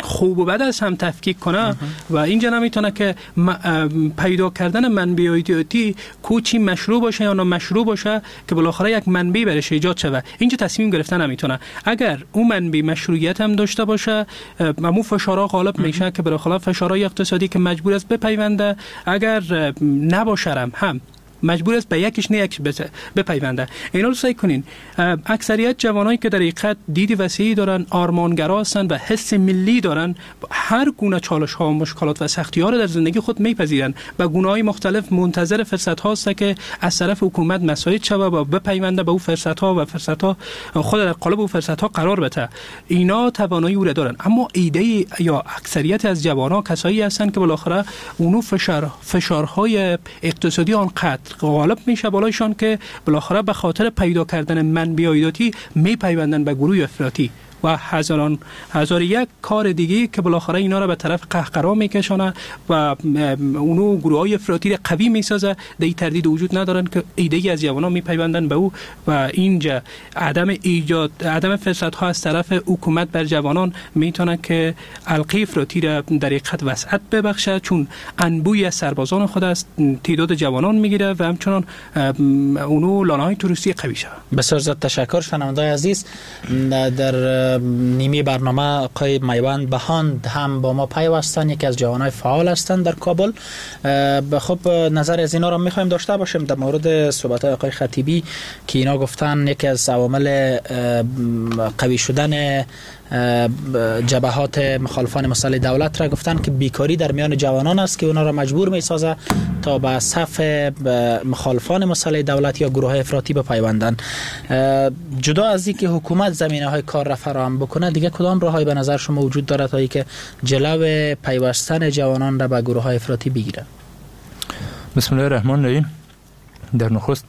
خوب و بد از هم تفکیک کنه و اینجا نمیتونه که پیدا کردن منبع عایداتی کوچی مشروع باشه یا نامشروع باشه که بالاخره یک منبع برش ایجاد شوه، اینجا تصمیم گرفتن نمیتونه. اگر اون منبع مشروعیت هم داشته باشه امو فشارها غالب میشه که بالاخره فشارهای اقتصادی که مجبور است بپیونده، اگر نباشه هم مجبور است به یکیش نه یکیش بپیونده. اینا رو سعی کنین. اکثریت جوانایی که در حقیقت دید وسیعی دارن، آرمانگرا هستن و حس ملی دارن، هر گونه چالش ها و مشکلات و سختی ها رو در زندگی خود میپذیرن و گونه های مختلف منتظر فرصت هاست که از طرف حکومت مساعد شوه و بپیونده به او فرصت ها و فرصت ها خود در قالب او فرصت ها قرار بده. اینا توانایی او را دارن. اما ایده یا اکثریت از جوانها کسایی هستن که بالاخره اونو فشار فشارهای اقتصادی آنقدر غالب میشه بالایشان که بالاخره به خاطر پیدا کردن منبع عایداتی میپیوندن به گروه افراطی و هزاران هزار یک کار دیگه که بالاخره اینا را به طرف قهقرا میکشانه و اونو گروه های افراطی را قوی میسازه. در تردید وجود ندارن که ایده از جوانان میپیوندن به او و اینجا عدم ایجاد عدم فرصت ها از طرف حکومت بر جوانان میتونه که علقه افراطی را در حقیقت وسعت ببخشه، چون انبوی از سربازان خود از تعداد جوانان میگیره و همچنان اونو لانه های تروریستی قوی شه. بسیار زیاد تشکر شنونده‌های عزیز. در نیمه برنامه آقای میوند بهاند هم با ما پیوستن، یکی از جوانای فعال هستند در کابل. خب نظر از اینا را میخوایم داشته باشیم در مورد صحبت های آقای خطیبی که اینا گفتن یکی از عوامل قوی شدن جبهات مخالفان مسلح دولت را گفتن که بیکاری در میان جوانان است که اونا را مجبور میسازه تا به صف مخالفان مسلح دولت یا گروه های افراطی بپیوندن. جدا از اینکه حکومت زمینه های کار را فراهم بکنه، دیگه کدام راههایی به نظر شما وجود دارد تا اینکه جلو پیوستن جوانان را به گروه های افراطی بگیره؟ بسم الله الرحمن الرحیم. در نخست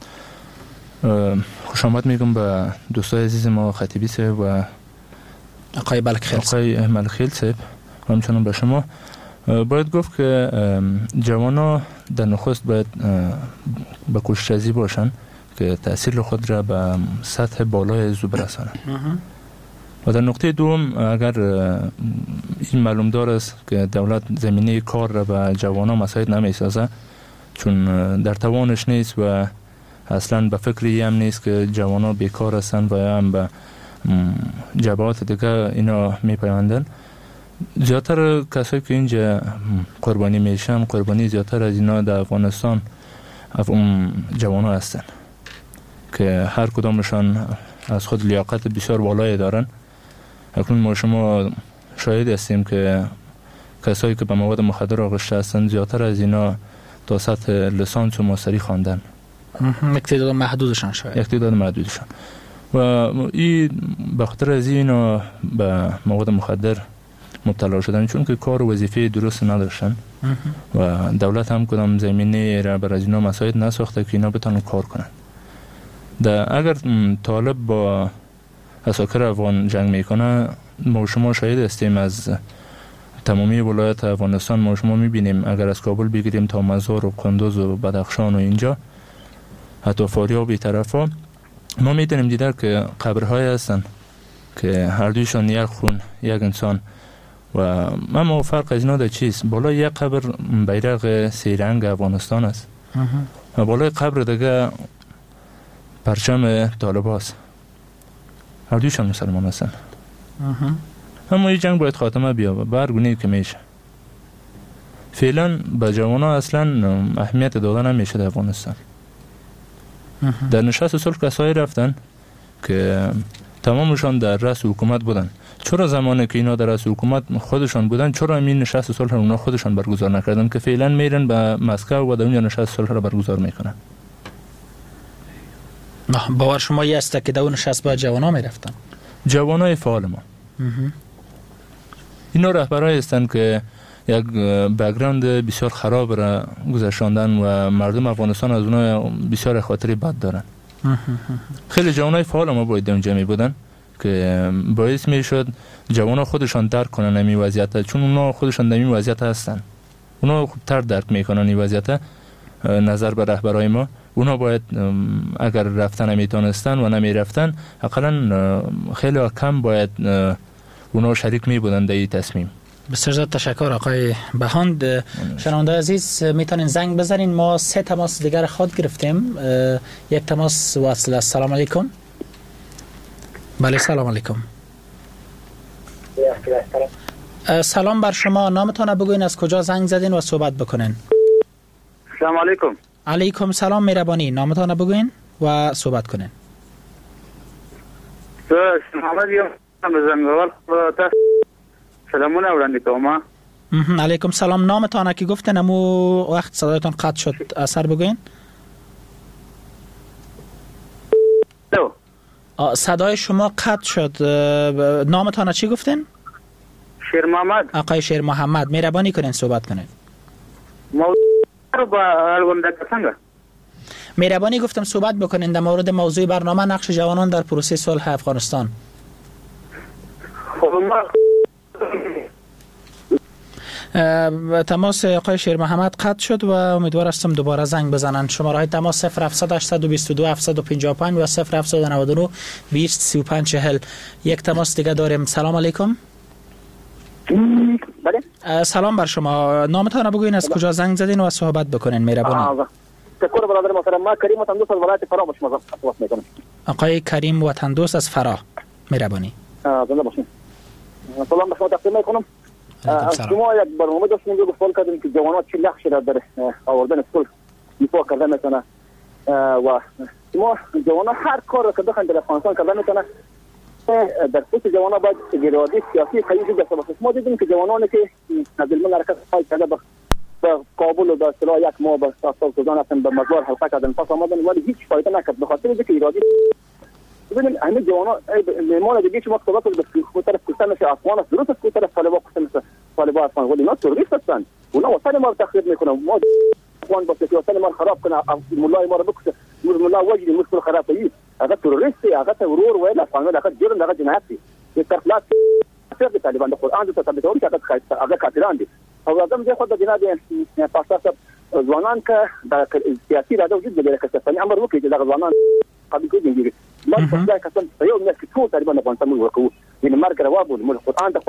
خوش آمد میگم به دوستای عزیز ما خطیبی صاحب و آقای بلکخیل آقای ملکخیل صاحب و همچنان به شما. باید گفت که جوانا در نخست باید به کوشش ازی باشن که تأثیر خود را به سطح بالای زو برسانند. و در نقطه دوم، اگر این معلوم دار است که دولت زمینه کار را به جوانا مساعد نمیسازه، چون در توانش نیست و اصلا به فکری هم نیست که جوانا بیکار هستند و هم به جبهات دیگه اینا میپیوندن. زیادتر کسایی که اینجا قربانی میشن، قربانی زیادتر از اینا در افغانستان جوان ها هستن که هر کدامشان از خود لیاقت بسیار بالایی دارن. اکنون ما شما شاهد هستیم که کسایی که به مواد مخدر آغشته هستن زیادتر از اینا تا سطح لسانس و ماستری خواندن، یک تعداد محدودشان، شاید یک تعداد محدودشان، و این به خاطر از اینا به مواد مخدر مبتلا شدن، چون که کار و وظیفه درست نداشتن و دولت هم کدام زمینه را بر از اینا مساعد نساخته که اینا بتونن کار کنن. در اگر طالب با عساکر افغان جنگ میکنه، ما شما شاهد هستیم از تمامی ولایت افغانستان، ما شما میبینیم اگر از کابل بگیریم تا مزار و قندوز و بدخشان و اینجا حتی فاریاب طرفا، ما میتونیم دیده که قبرهای هستن که هر دویشان یک خون یک انسان و اما فرق از اینا در چیست؟ بالای یک قبر بیرق سه رنگ افغانستان است و بالای قبر دیگه پرچم طالب هست. هر دویشان مسلمان هستن. اما این جنگ باید خاتمه بیابه به هر گونه که میشه. فعلا به جوانها اصلا اهمیت داده نمیشه در افغانستان. در نشست صلح کسایی رفتن که تمامشان در رأس حکومت بودن. چرا زمانی که اینا در رأس حکومت خودشان بودن، چرا این نشست صلح رو اونا خودشان برگزار نکردن که فعلا میرن به مسکو و در اونجا نشست صلح رو برگزار میکنن؟ باور شما این است که در اون نشست باید جوانا میرفتن؟ جوانای فعال ما اینا رهبرای هستند که یک background بسیار خراب را گذشاندن و مردم افغانستان از اونها بسیار خاطری بد دارن. خیلی جوانای فعال ما باید اونجا می بودن که باعث می شد جوانا خودشان درک کنن این وضعیت، چون اونا خودشان در این وضعیت هستن، اونا خوبتر درک میکنن این وضعیت نظر به رهبرای ما. اونا باید اگر رفتن نمیتونستن و نمیرفتن، اقلا خیلی کم باید اونا شریک می بودن در این تصمیم. بسیار زیاد تشکر آقای بهاند. شنونده عزیز میتونین زنگ بزنین، ما سه تماس دیگر خود گرفتیم، یک تماس وصل. السلام علیکم. بله سلام علیکم. سلام بر شما، نامتان بگوین، از کجا زنگ زدین و صحبت بکنین. سلام علیکم. علیکم سلام، مهربانی، نامتان بگوین و صحبت کنین. سلامونه وړاندې کوم. علیکم سلام، نامتان که گفتن امو وقت صدایتان قطع شد، اثر بگوین. صدای شما قطع شد، نامتان چی گفتن؟ شیر محمد. آقای شیر محمد، مهربانی کنین صحبت کنین. موضوع با اړوند څنګه؟ مهربانی گفتم صحبت بکنین در مورد موضوع برنامه نقش جوانان در پروسه صلح افغانستان. تماس آقای شیر محمد قطع شد و امیدوار هستم دوباره زنگ بزنند. شماره های تماس صفر هفت هشت دو دو هفت پنج پنج و صفر هفت نه نه بیست سی و پنج چهل. یک تماس دیگه داریم. سلام علیکم. بله. سلام بر شما. نامتان را بگوین، از کجا زنگ زدین و صحبت بکنین مهربانی. تشکر برادر محترم. ما کریم وطندوست از ولایت فراه با شما تماس میکنم. آقای کریم وطندوست از فراه، مهربانی. زنده باشین. سلام به شما تقدیم میکنم. از شما یک برنامه داشتیم که سوال کردیم که جوانان چه نقشی را در آوردن صلح ایفا کرده میتونه و شما جوانان هر کار را که بخواین در افغانستان کرده میتونه. در خصوص جوانان باید اراده سیاسی قوی وجود داشته باشه. ما دیدیم که جوانانی که از المن حرکت های کرده به کابل و به اصطلاح یک ماه به ساختار سوزان رفتن، به مزار حلقه کردن، پس آمدن، ولی هیچ فایده نکرد به خاطر اینکه اراده. ببینید همه جوانان مهمان دیگه شما صحبت کنید به طرف کشته میشه افغان است، درست است که طرف طالبان کشته میشه، طالبان افغان، ولی اینا تروریست هستند، اونا وطن ما رو تخریب میکنن. ما افغان باشه که وطن ما رو خراب کنه، مولای ما رو بکشه، ملا وجدي مشکل خراب کوي، هغه تروریست دی، هغه ته ورور ویل افغان هغه جرم، هغه جنایت دی. د طرف لاس د طالبان د قرآن د ثابتول چې هغه کافران دي. او اعظم زه خو د جناب پاستا صاحب ځوانان که د سیاسي اراده وجود لري که څه امر وکړي چې دغه ځوانان قبول کړي.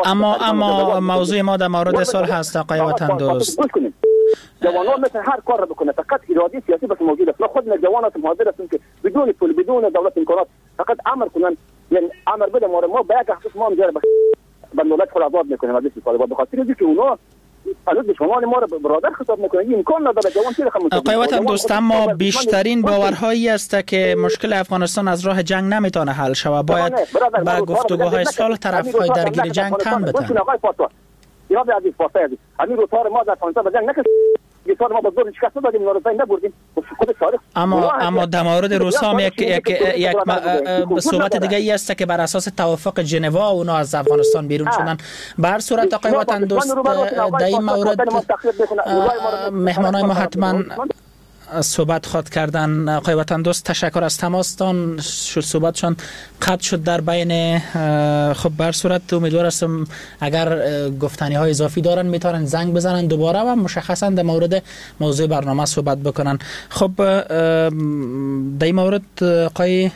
اما اما موضوع ما در مورد صلح هست آقای وطندوست. جوانان مثل هر کار را بکنه، فقط اراده سیاسی بس موجود است. ما خودنا جوان هستیم، حاضر هستیم که بدون پول، بدون دولت امکانات، فقط امر کنن، یعنی امر بده ما ما به یک حقوق ما هم جره به دولت خود آزاد میکنیم از دست طالبان، به خاطر اینکه اونا هنوز دشمنان ما را برادر خطاب میکنن. این امکان نداره جوان چی رقم. آقای وطن دوست، اما بیشترین باورهایی است که مشکل افغانستان از راه جنگ نمیتونه حل شود، باید با گفتگوهای صلح طرفهای درگیر جنگ تن بدن. آقای پارسا، جناب عزیز پارسا عزیز، همین روزها ما در افغانستان به جنگ نکشید، یه ما با زور شکست دادیم، نارضایی نبردیم. خود تاریخ. اما اما در مورد روسا هم یک یک یک صحبت دیگه ای است که بر اساس توافق ژنوا اونا از افغانستان بیرون شدن. به هر صورت آقای وطن دوست، در این مورد مهمانای ما حتما صحبت خواد کردن. آقای وطن دوست تشکر از تماستان، صحبتشان قطع شد در بین. خب بر صورت امیدوار هستم اگر گفتنی های اضافی دارن میتونن زنگ بزنن دوباره و مشخصا در مورد موضوع برنامه صحبت بکنن. خب در این مورد آقای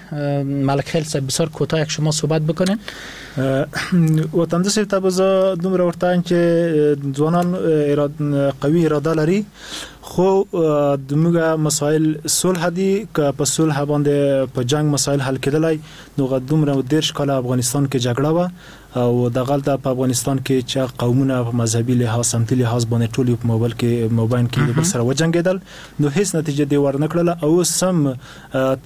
ملک خیل صاحب بسیار کوتاه یک شما صحبت بکنن. وطن دوست صاحب ته به زه دومره ورته وایم چې ځوانان قوي اراده لري، خو زموږ مسایل صلح دي، که په صلح باندې په جنگ مسایل حل کېدلی نو دومره دېرش کاله افغانستان کې جګړه وه او دغلته په افغانستان کې چې قومونه په مذهبي لحاظ سمتي لحاظ باندې ټول په موبایل کې موبایل کې د بل سره وجنګېدل، نو هیڅ نتیجه دی ورنه کړله. او اوس هم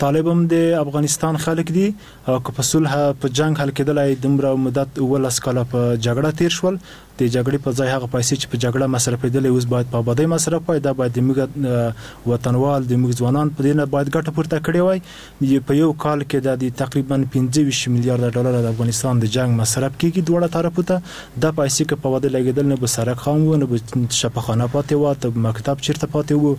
طالب هم د افغانستان خلک دي او که په صلح په جنگ حل کېدلی دومره مدت اوولس کاله په جګړه تیر شول، د جګړې په ځای هغه پیسې چې په جګړه مصرفېدلې اوس باید په آبادۍ مصرف وای. دا باید د موږ وطنوال د موږ ځوانان په دې نه باید ګټه پورته کړې وای. په یو کال کې د تقریبا پنځه ویشت میلیارډ ډالر د افغانستان د جنگ مصرف کېږي دواړه طرفو ته. دا پیسې که په آبادۍ لګېدل نه به سرک خام و، نه به شفاخانه پاتې وه، ته به مکتب چېرته پاتې و،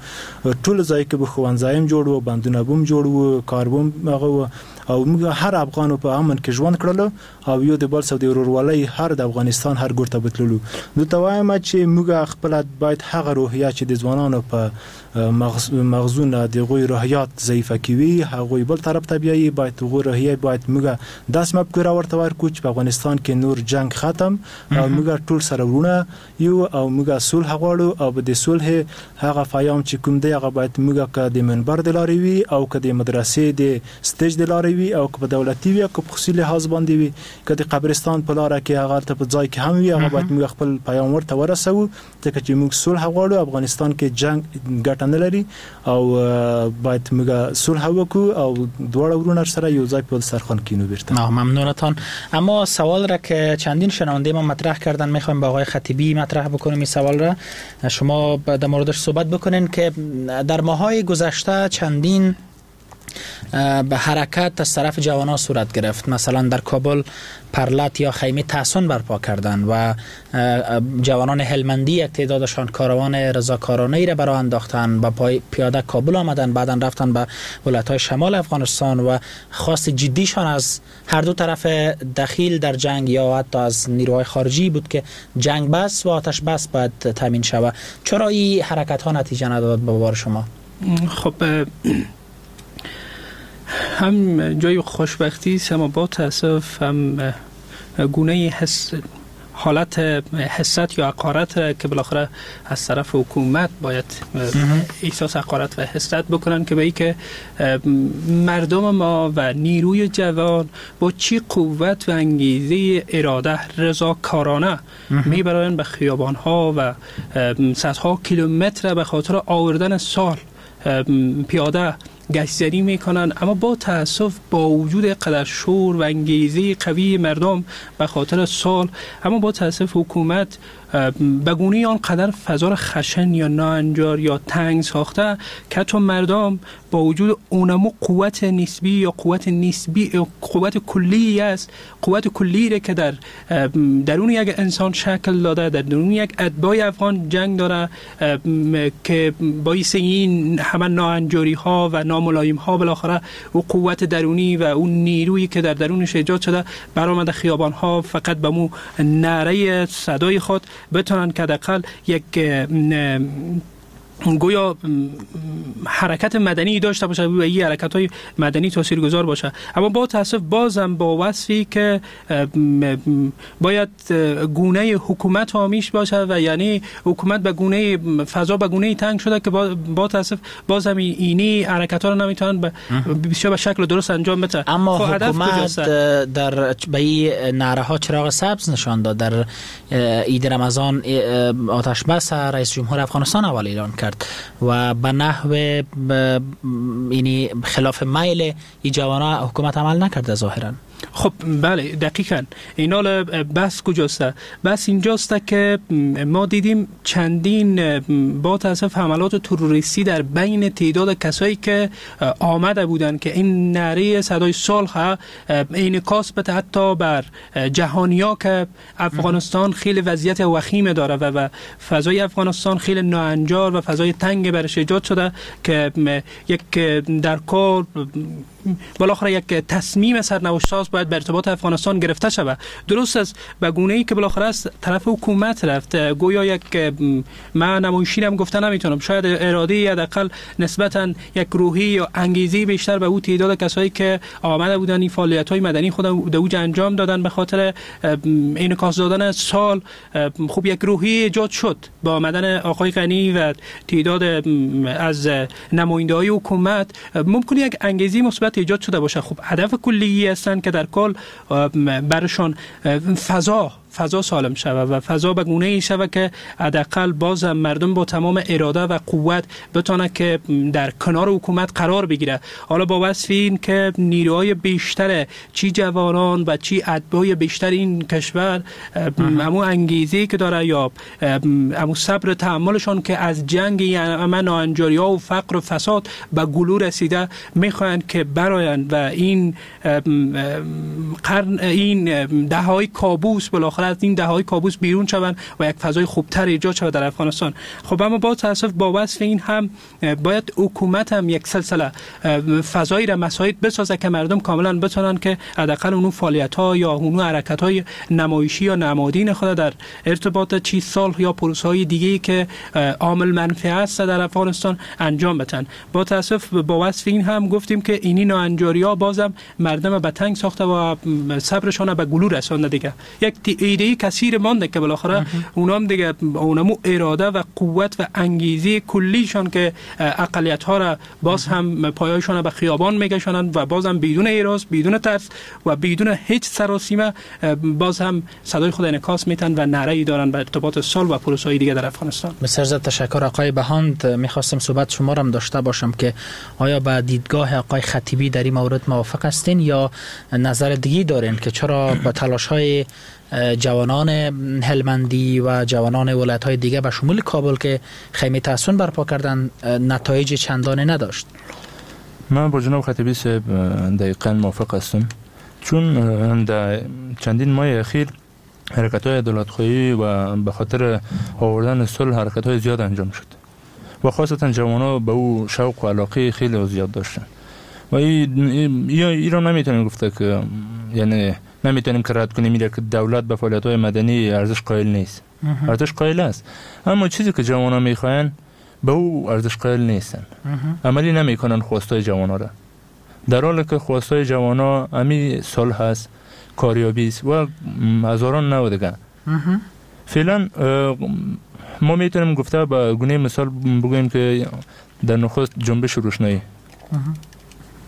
ټول ځای کې به ښوونځی هم جوړ و، بندونه به هم جوړ و، کار به هم هغه و، او موږ هر افغان په امن کې ژوند کړلو او یو د بل سره د ورورولۍ هر د افغانستان هر ګوټ ته بتللو. نو ته وایم چې موږ خپله باید هغه روحیه چې د ځوانانو په مغزونه د هغوی روحیات ضعیفه کوي هغوی بل طرف ته بیایي، باید هغوی روحیه باید موږ داسې مفکوره ورته ورکړو چې په افغانستان کې نور جنگ ختم او موږ ټول سره وروڼه یو او موږ صلح غواړو او د صلح هغه پیام چې کوم دی هغه باید موږ که د منبر د لارې وي او که د مدرسې د stage د لارې وي او که په دولتي وي او که په خصوصي لحاظ باندې وي، که د قبرستان په لاره کې هغه ته په ځای کې هم وي، هغه باید موږ خپل پیام ورته ورسوو، ځکه چې موږ صلح غواړو. افغانستان کې جنگ ګټه نه لري او باید موږ صلح وکړو او دواړه وروڼه سره یو ځای په دسترخوان کینو بیرته. ممنونتان. اما سوال را که چندین شنونده ما مطرح کردن میخوایم با آقای خطیبی مطرح بکنیم. این سوال را شما در موردش صحبت بکنین که در ماهای گذشته چندین به حرکت از طرف جوانان صورت گرفت. مثلا در کابل پرلت یا خیمه تحصن برپا کردن و جوانان هلمندی یک تعدادشان کاروان رضاکارانه ای را براه انداختن، با پای پیاده کابل آمدن، بعدا رفتن به ولایت‌های شمال افغانستان و خواست جدیشان از هر دو طرف دخیل در جنگ یا حتی از نیروهای خارجی بود که جنگ بس و آتش بس باید تامین شود. چرا این حرکت ها نتیجه نداد به باور شما؟ خب هم جای خوشبختی است، اما با تاسف هم گونه حس حالت حست یا حقارت که بالاخره از طرف حکومت باید احساس حقارت و حست بکنن که به ای که مردم ما و نیروی جوان با چی قوت و انگیزه اراده رضاکارانه میبرن به خیابان ها و صدها کیلومتر به خاطر آوردن سال پیاده گشت‌زنی میکنن، اما با تاسف با وجود قدر شور و انگیزه قوی مردم به خاطر سال، اما با تاسف حکومت به گونه آن قدر فضا خشن یا ناهنجار یا تنگ ساخته که تو مردم با وجود اونمو قوت نسبی یا قوت نسبی قوت کلی است، قوت کلی که در درون یک انسان شکل داده، در درون یک اتباع افغان جنگ داره که باعث این همه ناهنجاری ها و ناملایم ها بالاخره او قوت درونی و اون نیرویی که در درونش ایجاد شده برآمده خیابان ها فقط به مو نعره صدای خود بتونن که حداقل یک گویا حرکت مدنی داشته باشه و این حرکت های مدنی تاثیرگذار باشه. اما با تاسف بازم با وصفی که باید گونه حکومت حامیش باشه و یعنی حکومت به گونه فضا به گونه تنگ شده که با, با تاسف بازم اینی حرکت ها رو نمیتونن بسیار به شکل درست انجام بده. اما حکومت در به این نعره ها چراغ سبز نشان داد. در عید رمضان آتش بس رئیس جمهور افغانستان اول اعلان کرد و به نحو یعنی خلاف میل این جوانان حکومت عمل نکرده ظاهرا. خب بله دقیقاً اینال بس کجاست؟ بس اینجاست که ما دیدیم چندین با تاسف حملات تروریستی در بین تعداد کسایی که آمده بودن که این نعره صدای صلح انعکاس بده حتی بر جهانیا که افغانستان خیلی وضعیت وخیم داره و, و فضای افغانستان خیلی ناهنجار و فضای تنگ برش ایجاد شده که یک در کار بالاخره یک تصمیم سرنوشت ساز باید به ارتباط افغانستان گرفته شود. درست است به گونه ای که بالاخره از طرف حکومت رفت، گویا یک من نمایشی هم گفته نمیتونم، شاید اراده حداقل نسبتا یک روحی یا انگیزه بیشتر به او تعداد کسایی که آمده بودن این فعالیت های مدنی خود در اوج انجام دادن به خاطر انعکاس دادن سال، خوب یک روحی ایجاد شد با آمدن آقای غنی و تعداد از نماینده‌های حکومت، ممکن یک انگیزه مثبت ایجاد شده باشه. خب هدف کلی هستند که در کل برشان فضا فضا سالم شود و فضا به گونه ای شود که حداقل باز مردم با تمام اراده و قوت بتونه که در کنار حکومت قرار بگیره. حالا با وصف این که نیروهای بیشتر چی جوانان و چی اتباع بیشتر این کشور همو انگیزه که داره یا همو صبر تحملشان که از جنگ امن ناهنجاری ها و فقر و فساد به گلو رسیده میخواهند که برایند و این قرن این دههای کابوس بالاخره از این دههای کابوس بیرون شوند و یک فضای خوبتر ایجاد شود در افغانستان. خب اما با تاسف با وصف این هم باید حکومت هم یک سلسله فضایی را مساعد بسازه که مردم کاملا بتونن که حداقل اون فعالیت ها یا اون حرکت های نمایشی یا نمادین خود در ارتباط چی سال یا پروسه های دیگه که عامل منفعه است در افغانستان انجام بدن. با تاسف با وصف این هم گفتیم که اینی ناهنجاری ها بازم مردم به تنگ ساخته و صبرشان به گلو رسانده. دیگه یک ایده کثیر مانده که بالاخره اونام دیگه اونمو اراده و قوت و انگیزه کلیشان که اقلیت ها را باز هم پایایشان به خیابان میکشانند و باز هم بدون ایراز، بدون ترس و بدون هیچ سراسیمه باز هم صدای خود انعکاس میتن و نعره ای دارن به ارتباط سال و پروسه های دیگه در افغانستان. بسیار زیاد تشکر آقای بهاند. میخواستم صحبت شما را هم داشته باشم که آیا به دیدگاه آقای خطیبی در این مورد موافق هستین یا نظر دیگه دارین که چرا با تلاش های جوانان هلمندی و جوانان ولایت های دیگه به شمول کابل که خیمه تحصن برپا کردن نتایج چندانی نداشت؟ من با جناب خطیبی صاحب دقیقاً موافق هستم، چون در چندین ماه اخیر حرکت های عدالت‌خواهی و به خاطر آوردن صلح حرکت های زیاد انجام شد و خاصتا جوان‌ها به او شوق و علاقه خیلی زیاد داشتن و ای را نمیتونیم گفته که یعنی نمیتونیم که رد کنیم که دولت به فعالیت های مدنی ارزش قائل نیست. ارزش قائل است، اما چیزی که جوان‌ها میخواین به او ارزش قائل نیستن، عملی نمیکنن خواستای جوان‌ها را، در حالی که خواستای جوان‌ها امی صلح است، کاریابی است و هزاران نوع دیگه. فعلا ما میتونیم گفته به گونه مثال بگوییم که در نخست جنبش روشنایی،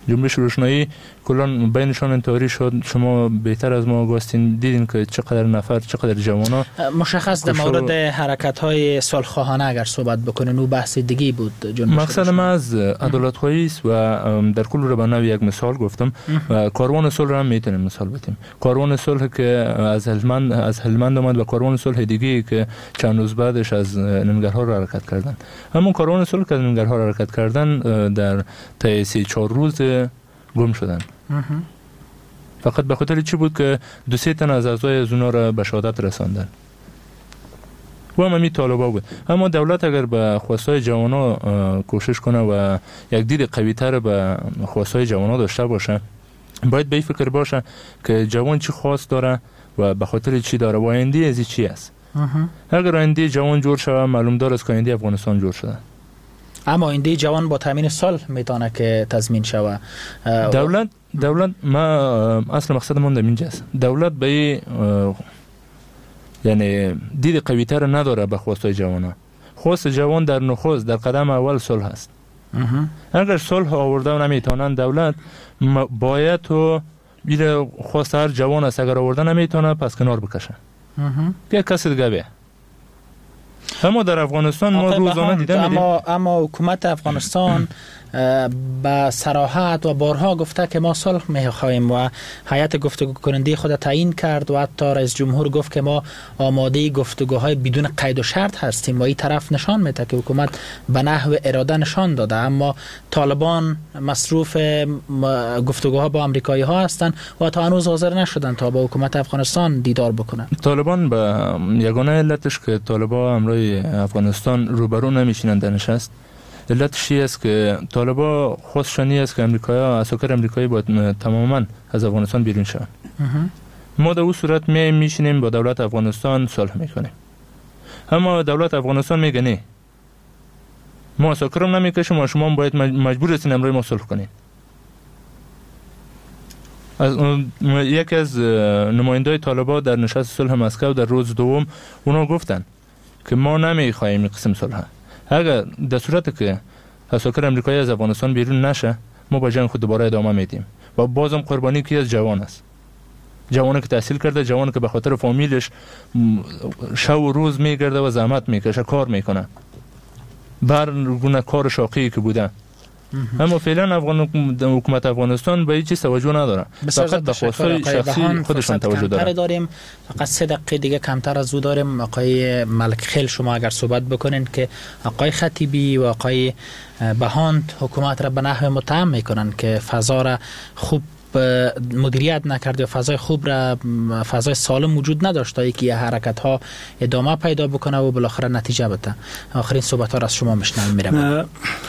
جنبش روشنایی کلان بینشان انتحاری شد. شما بهتر از ما آگاستین، دیدین که چقدر نفر، چقدر جوانا. مشخص در مورد حرکت های صلح‌خواهانه اگر صحبت بکنین او بحث دیگه بود. جنبش مقصد ما از عدالت خواهی است و در کل رو به نوع یک مثال گفتم و کاروان صلح رو هم میتونیم مثال بدیم. کاروان صلح که از هلمند از هلمند آمد و کاروان صلح دیگه که چند روز بعدش از ننگرهار حرکت کردن. همون کاروان صلح که از ننگرهار حرکت کردن در طی سه چهار روز گم شدن. فقط به خاطر چی بود که دو سه تن از اعضای از اونا را به شهادت رساندن و هم همین طالبا بود. اما دولت اگر به خواستای جوانا کوشش کنه و یک دید قوی تر به خواستای جوانا داشته باشه، باید به این فکر باشه که جوان چی خواست داره و به خاطر چی داره و آینده از چی است. اگر آینده جوان جور شود، معلوم دار است که آینده افغانستان جور شده. اما آینده جوان با تامین صلح میتونه که تضمین شود. دولت دولت ما اصل مقصد من در اینجاست، دولت به یعنی دید قوی تر نداره به خواستای جوانان. خواست جوان در نخست در قدم اول صلح است. اگر صلح آورده نمیتونن، دولت باید تو بیره خواست هر جوان است، اگر آورده نمیتونه پس کنار بکشه یک کسی دیگه بیه. اما در افغانستان ما روزانه دیده میدیم، اما اما حکومت افغانستان به صراحت و بارها گفته که ما صلح میخواهیم و هیئت گفتگو کننده خود تعیین کرد و حتی رئیس جمهور گفت که ما آماده گفتگوهای بدون قید و شرط هستیم و این طرف نشان میده که حکومت به نحو اراده نشان داده. اما طالبان مصروف گفتگوها با آمریکایی ها هستند و تا هنوز حاضر نشدن تا با حکومت افغانستان دیدار بکنند. طالبان به یگانه علتش که طالبان همراه افغانستان روبرو نمیشینند در نشست، علتش است که طالبا خواستشان است که امریکایا عساکر امریکایی باید تماما از افغانستان بیرون شوند. ما در اون صورت می میشینیم با دولت افغانستان صلح میکنیم. اما دولت افغانستان میگه نه، ما عساکرم نمیکشیم و شما باید مجبور هستین امروز ما صلح کنین. از یکی از نمایندای طالبا در نشست صلح مسکو در روز دوم اونا گفتن که ما نمیخواهیم این قسم صلح، اگر در صورت که عساکر امریکایی از افغانستان بیرون نشه ما با جنگ خود دوباره ادامه میدیم و بازم قربانی کی از جوان است، جوانی که تحصیل کرده، جوانی که به خاطر فامیلش شب و روز میگرده و زحمت میکشه، کار میکنه، بر گونه کار شاقی که بوده. اما فعلا افغان حکومت افغانستان به هیچ چیز توجه نداره، فقط به خواستهای شخصی خودشان توجه داره. داریم فقط سه دقیقه دیگه کمتر از او داریم. آقای ملک خیل شما اگر صحبت بکنین که آقای خطیبی و آقای بهاند حکومت را به نحو متهم میکنن که فضا را خوب مدیریت نکرد و فضای خوب را، فضای سالم وجود نداشت تا اینکه حرکت ها ادامه پیدا بکنه و بالاخره نتیجه بده. آخرین صحبت ها را از شما میشنویم. میرم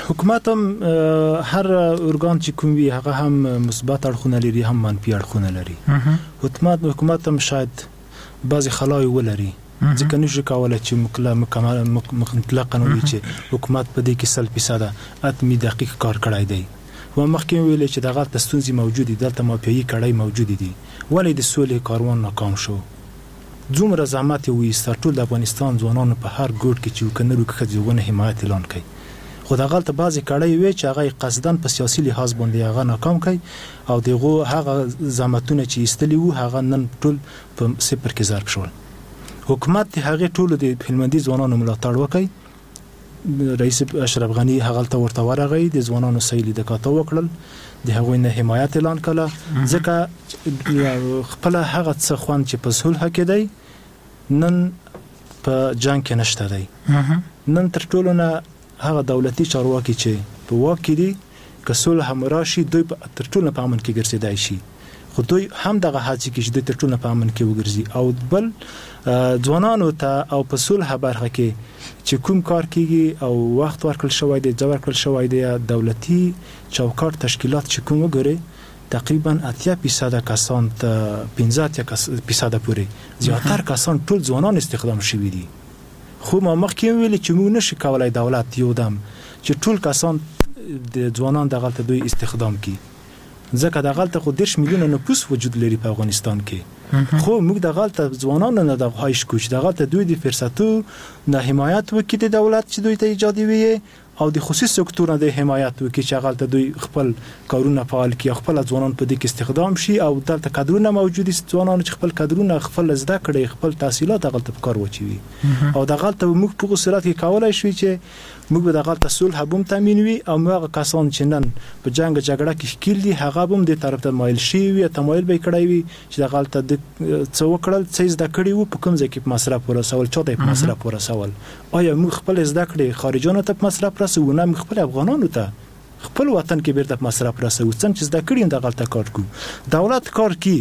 حکومت هم هر ارگان چې کوم وي هغه هم مثبت اړخونه لري هم منفي اړخونه لري. حکومت حکومت هم شاید بعضې خلاوې ولري، ځکه نشو کولی چې مکمل مطلقاً ووایو چې حکومت په دې کې سل فیصده اتمي دقیق کار کړی دی. و مخکې مې ویلې چې دغلته ستونزې موجودې، دلته مافیایي کړۍ موجودې دي، ولې د سولې کاروان ناکام شو؟ څومره زحمت یې وایسته، ټول د افغانستان ځوانانو په هر ګوټ کې چې که نر وو که ښځې هغو نه حمایت اعلان کړي، خو دغلته بعضې کړۍ وې چې هغه یې قصداً په سیاسي لحاظ باندې هغه ناکام کړي او د هغو هغه زحمتونه چې ایستلي وو هغه نن ټول په صفر کې ضرب شول. حکومت د هغې ټولو د هلمندي ځوانانو ملاتړ وکړي. رئیس اشرف غنی هغلته ورته ورغی، د ځوانانو صحیح لیده کاته وکړل، د هغوی نه حمایت اعلان کړه، ځکه خپله هغه څه خوند چې په صلح کې دی نن په جنګ کې نشته دی. نن تر ټولو نه هغه دولتي چارواکي چې په واک کې دي که سوله هم راشي دوی تر ټولو په امن کې ګرځېدای شي، خو دوی هم دغه هڅې کوي چې دوی تر ټولو په امن کې وګرځي. او بل ځوانانو ته او په صلح برخه کې چې کوم کار کیږي او وخت ورکړل شوی دی، ځای ورکړل شوی دی، دولتي چوکاټ تشکیلات چې کوم وګورئ تقریبا اتیا فیصده کسان ته پنځه اتیا فیصده پورې زیاتر کسان ټول ځوانان استخدام شوي دي. خو ما مخکې ویلي چې موږ نشو کولای دولت یو دم چې ټول کسان د ځوانان دغلته دوی استخدام کړي، ځکه دغلته خو دېرش میلیونه نفوس وجود لري په افغانستان کې. خو موږ دغلته ځوانانو نه دغه خواهش کوو چې دغلته دوی د فرصتو نه حمایت وکړي د دولت چې دوی ته ایجادوي، او د خصوصي سکتور نه د حمایت وکړي چې هغلته دوی خپل کارونه فعال کړي او خپل ځوانان په دې کې استخدام شي، او دلته کدرونه موجود دي ځوانانو چې خپل کدرونه، خپل زده کړې، خپل تحصیلات هغلته په کار واچوي. او دغلته موږ په هغه صورت کې کولای شو چې موږ به دغلته صلح هم تامین وي، او موږ هغه کسان چې نن په جنګ جګړه کې ښکیل دي هغه به هم دې طرف ته مایل شوي وي، تمایل به یې کړی وي چې دغلته د څه وکړل، څه یې زده کړي وو، په کوم ځای کې په مصرف ورسول، چا ته یې په مصرف ورسول. آیا موږ خپل زده کړې خارجانو ته په مصرف رسوو؟ نه، موږ خپل افغانانو ته خپل وطن کې بیرته په مصرف رسوو. څنګه چې زده کړي دغلته کار کوو، دولت کار کوي،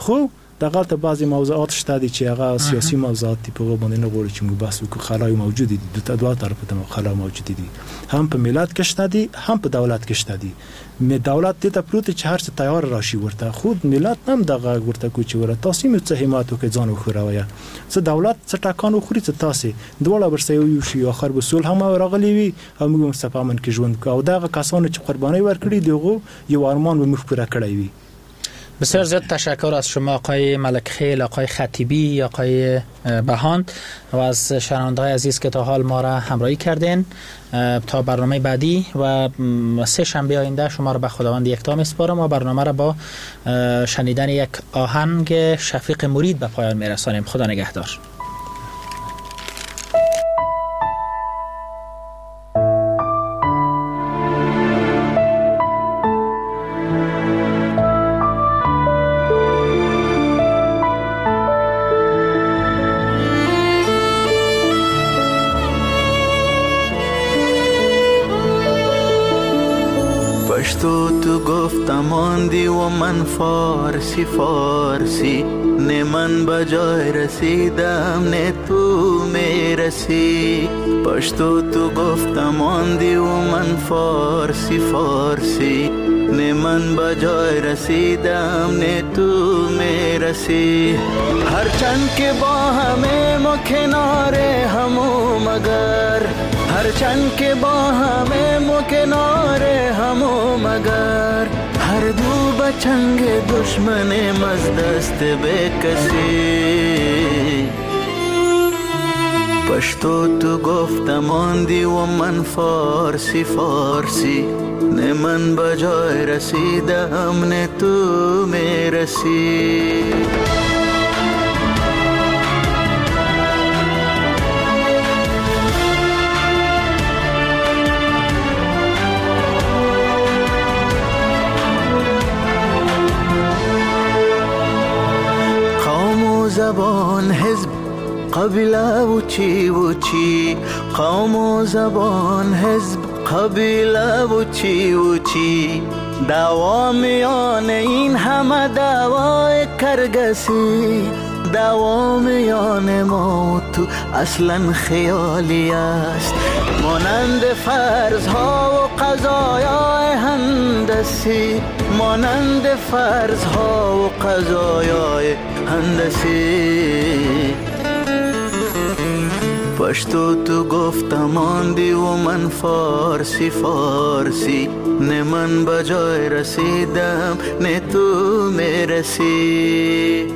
خو دغلته بعضې موضوعات شته دي چې هغه سیاسي موضوعات دي، په هغو باندې نه غواړو چې موږ بحث وکړو. خلاوې موجودې دي، دوه دوه طرفو ته خلاوې موجودې دي، هم په ملت کې شته دي، هم په دولت کې شته دي. دولت دې ته پروت چې هر څه تیار راشي ورته، خو ملت هم دغه ورته کوي چې وره تاسې مې څه حمایت وکړئ، ځان وښوروئ، څه دولت څه ټکان وخوري، څه تاسې دواړه ورسره یو شي، آخر به سول هم راغلی وي او موږ به په امن کې ژوند کوو. او دغه کسانو چې قربانۍ ورکړي د هغو یو ارمان به موږ پوره کړی وي. بسیار زیاد تشکر از شما آقای ملک خیل، آقای خطیبی، آقای بهاند و از شنونده‌های عزیز که تا حال ما را همراهی کردین. تا برنامه بعدی و سه شنبه آینده شما را به خداوند یکتا میسپارم و برنامه را با شنیدن یک آهنگ شفیق مرید به پایان میرسانیم. خدا نگهدار. ماندی و من فارسی فارسی، نه من به جای رسیدم نه تو میرسی. پشتو تو گفتم ماندی و من فارسی فارسی، نه من به جای رسیدم نه تو میرسی. هرچند که با همه ما کنار همو مگر، هرچند که با همه ما کنار همو مگر، هر دو بچنگ دشمن مزدست به کسی. پشتو تو گفتم ماندی و من فارسی فارسی، نه من به جای رسیدم نه تو میرسی. زبان حزب قبیله و چی و چی، قوم و زبان حزب قبیله و چی و چی، دعوا میان این همه دعوای کرگسی، دعوا میان ما تو اصلا خیالی است، مانند فرضها و قضایای هندسی، مانند فرضها و قضایای هندسی. پشتو تو گفتم ماندی و من فارسی فارسی، نه من به جای رسیدم نه تو میرسی.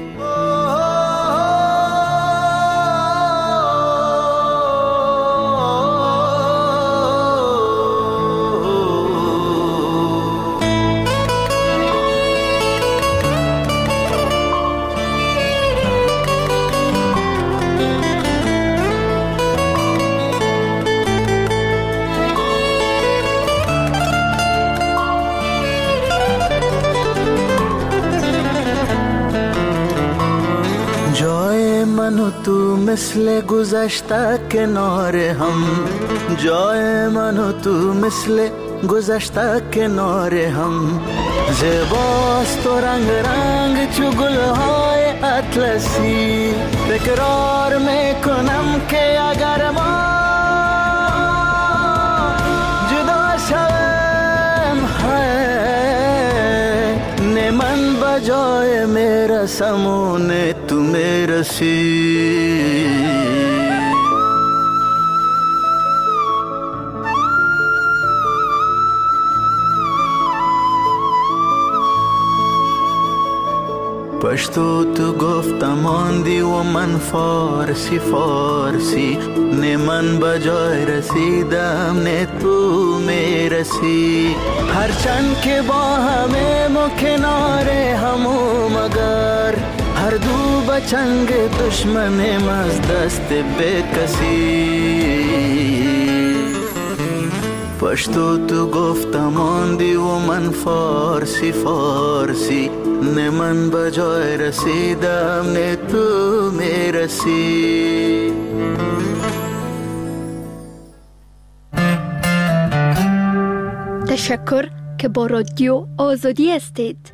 تو مثل گذشته کنار هم، جای من و تو مثل گذشته کنار هم. زیباست و رنگ رنگ چو گلهای اطلسی، تکرار میکنم که اگر ما جدا شویم نه من بجای میرسم و نه تو میرسی. پشتو تو گفتم ماندی و من فارسی فارسی، نه من بجای رسیدم نه تو میرسی. هرچند که با همه ما کنار همو، مگر هر دو بچنگ دشمنم از دست بکسی. پشتو تو گفتم ماندی و من فارسی فارسی، نه من بجای رسیدم نه تو میرسی. تشکر که با رادیو آزادی هستید.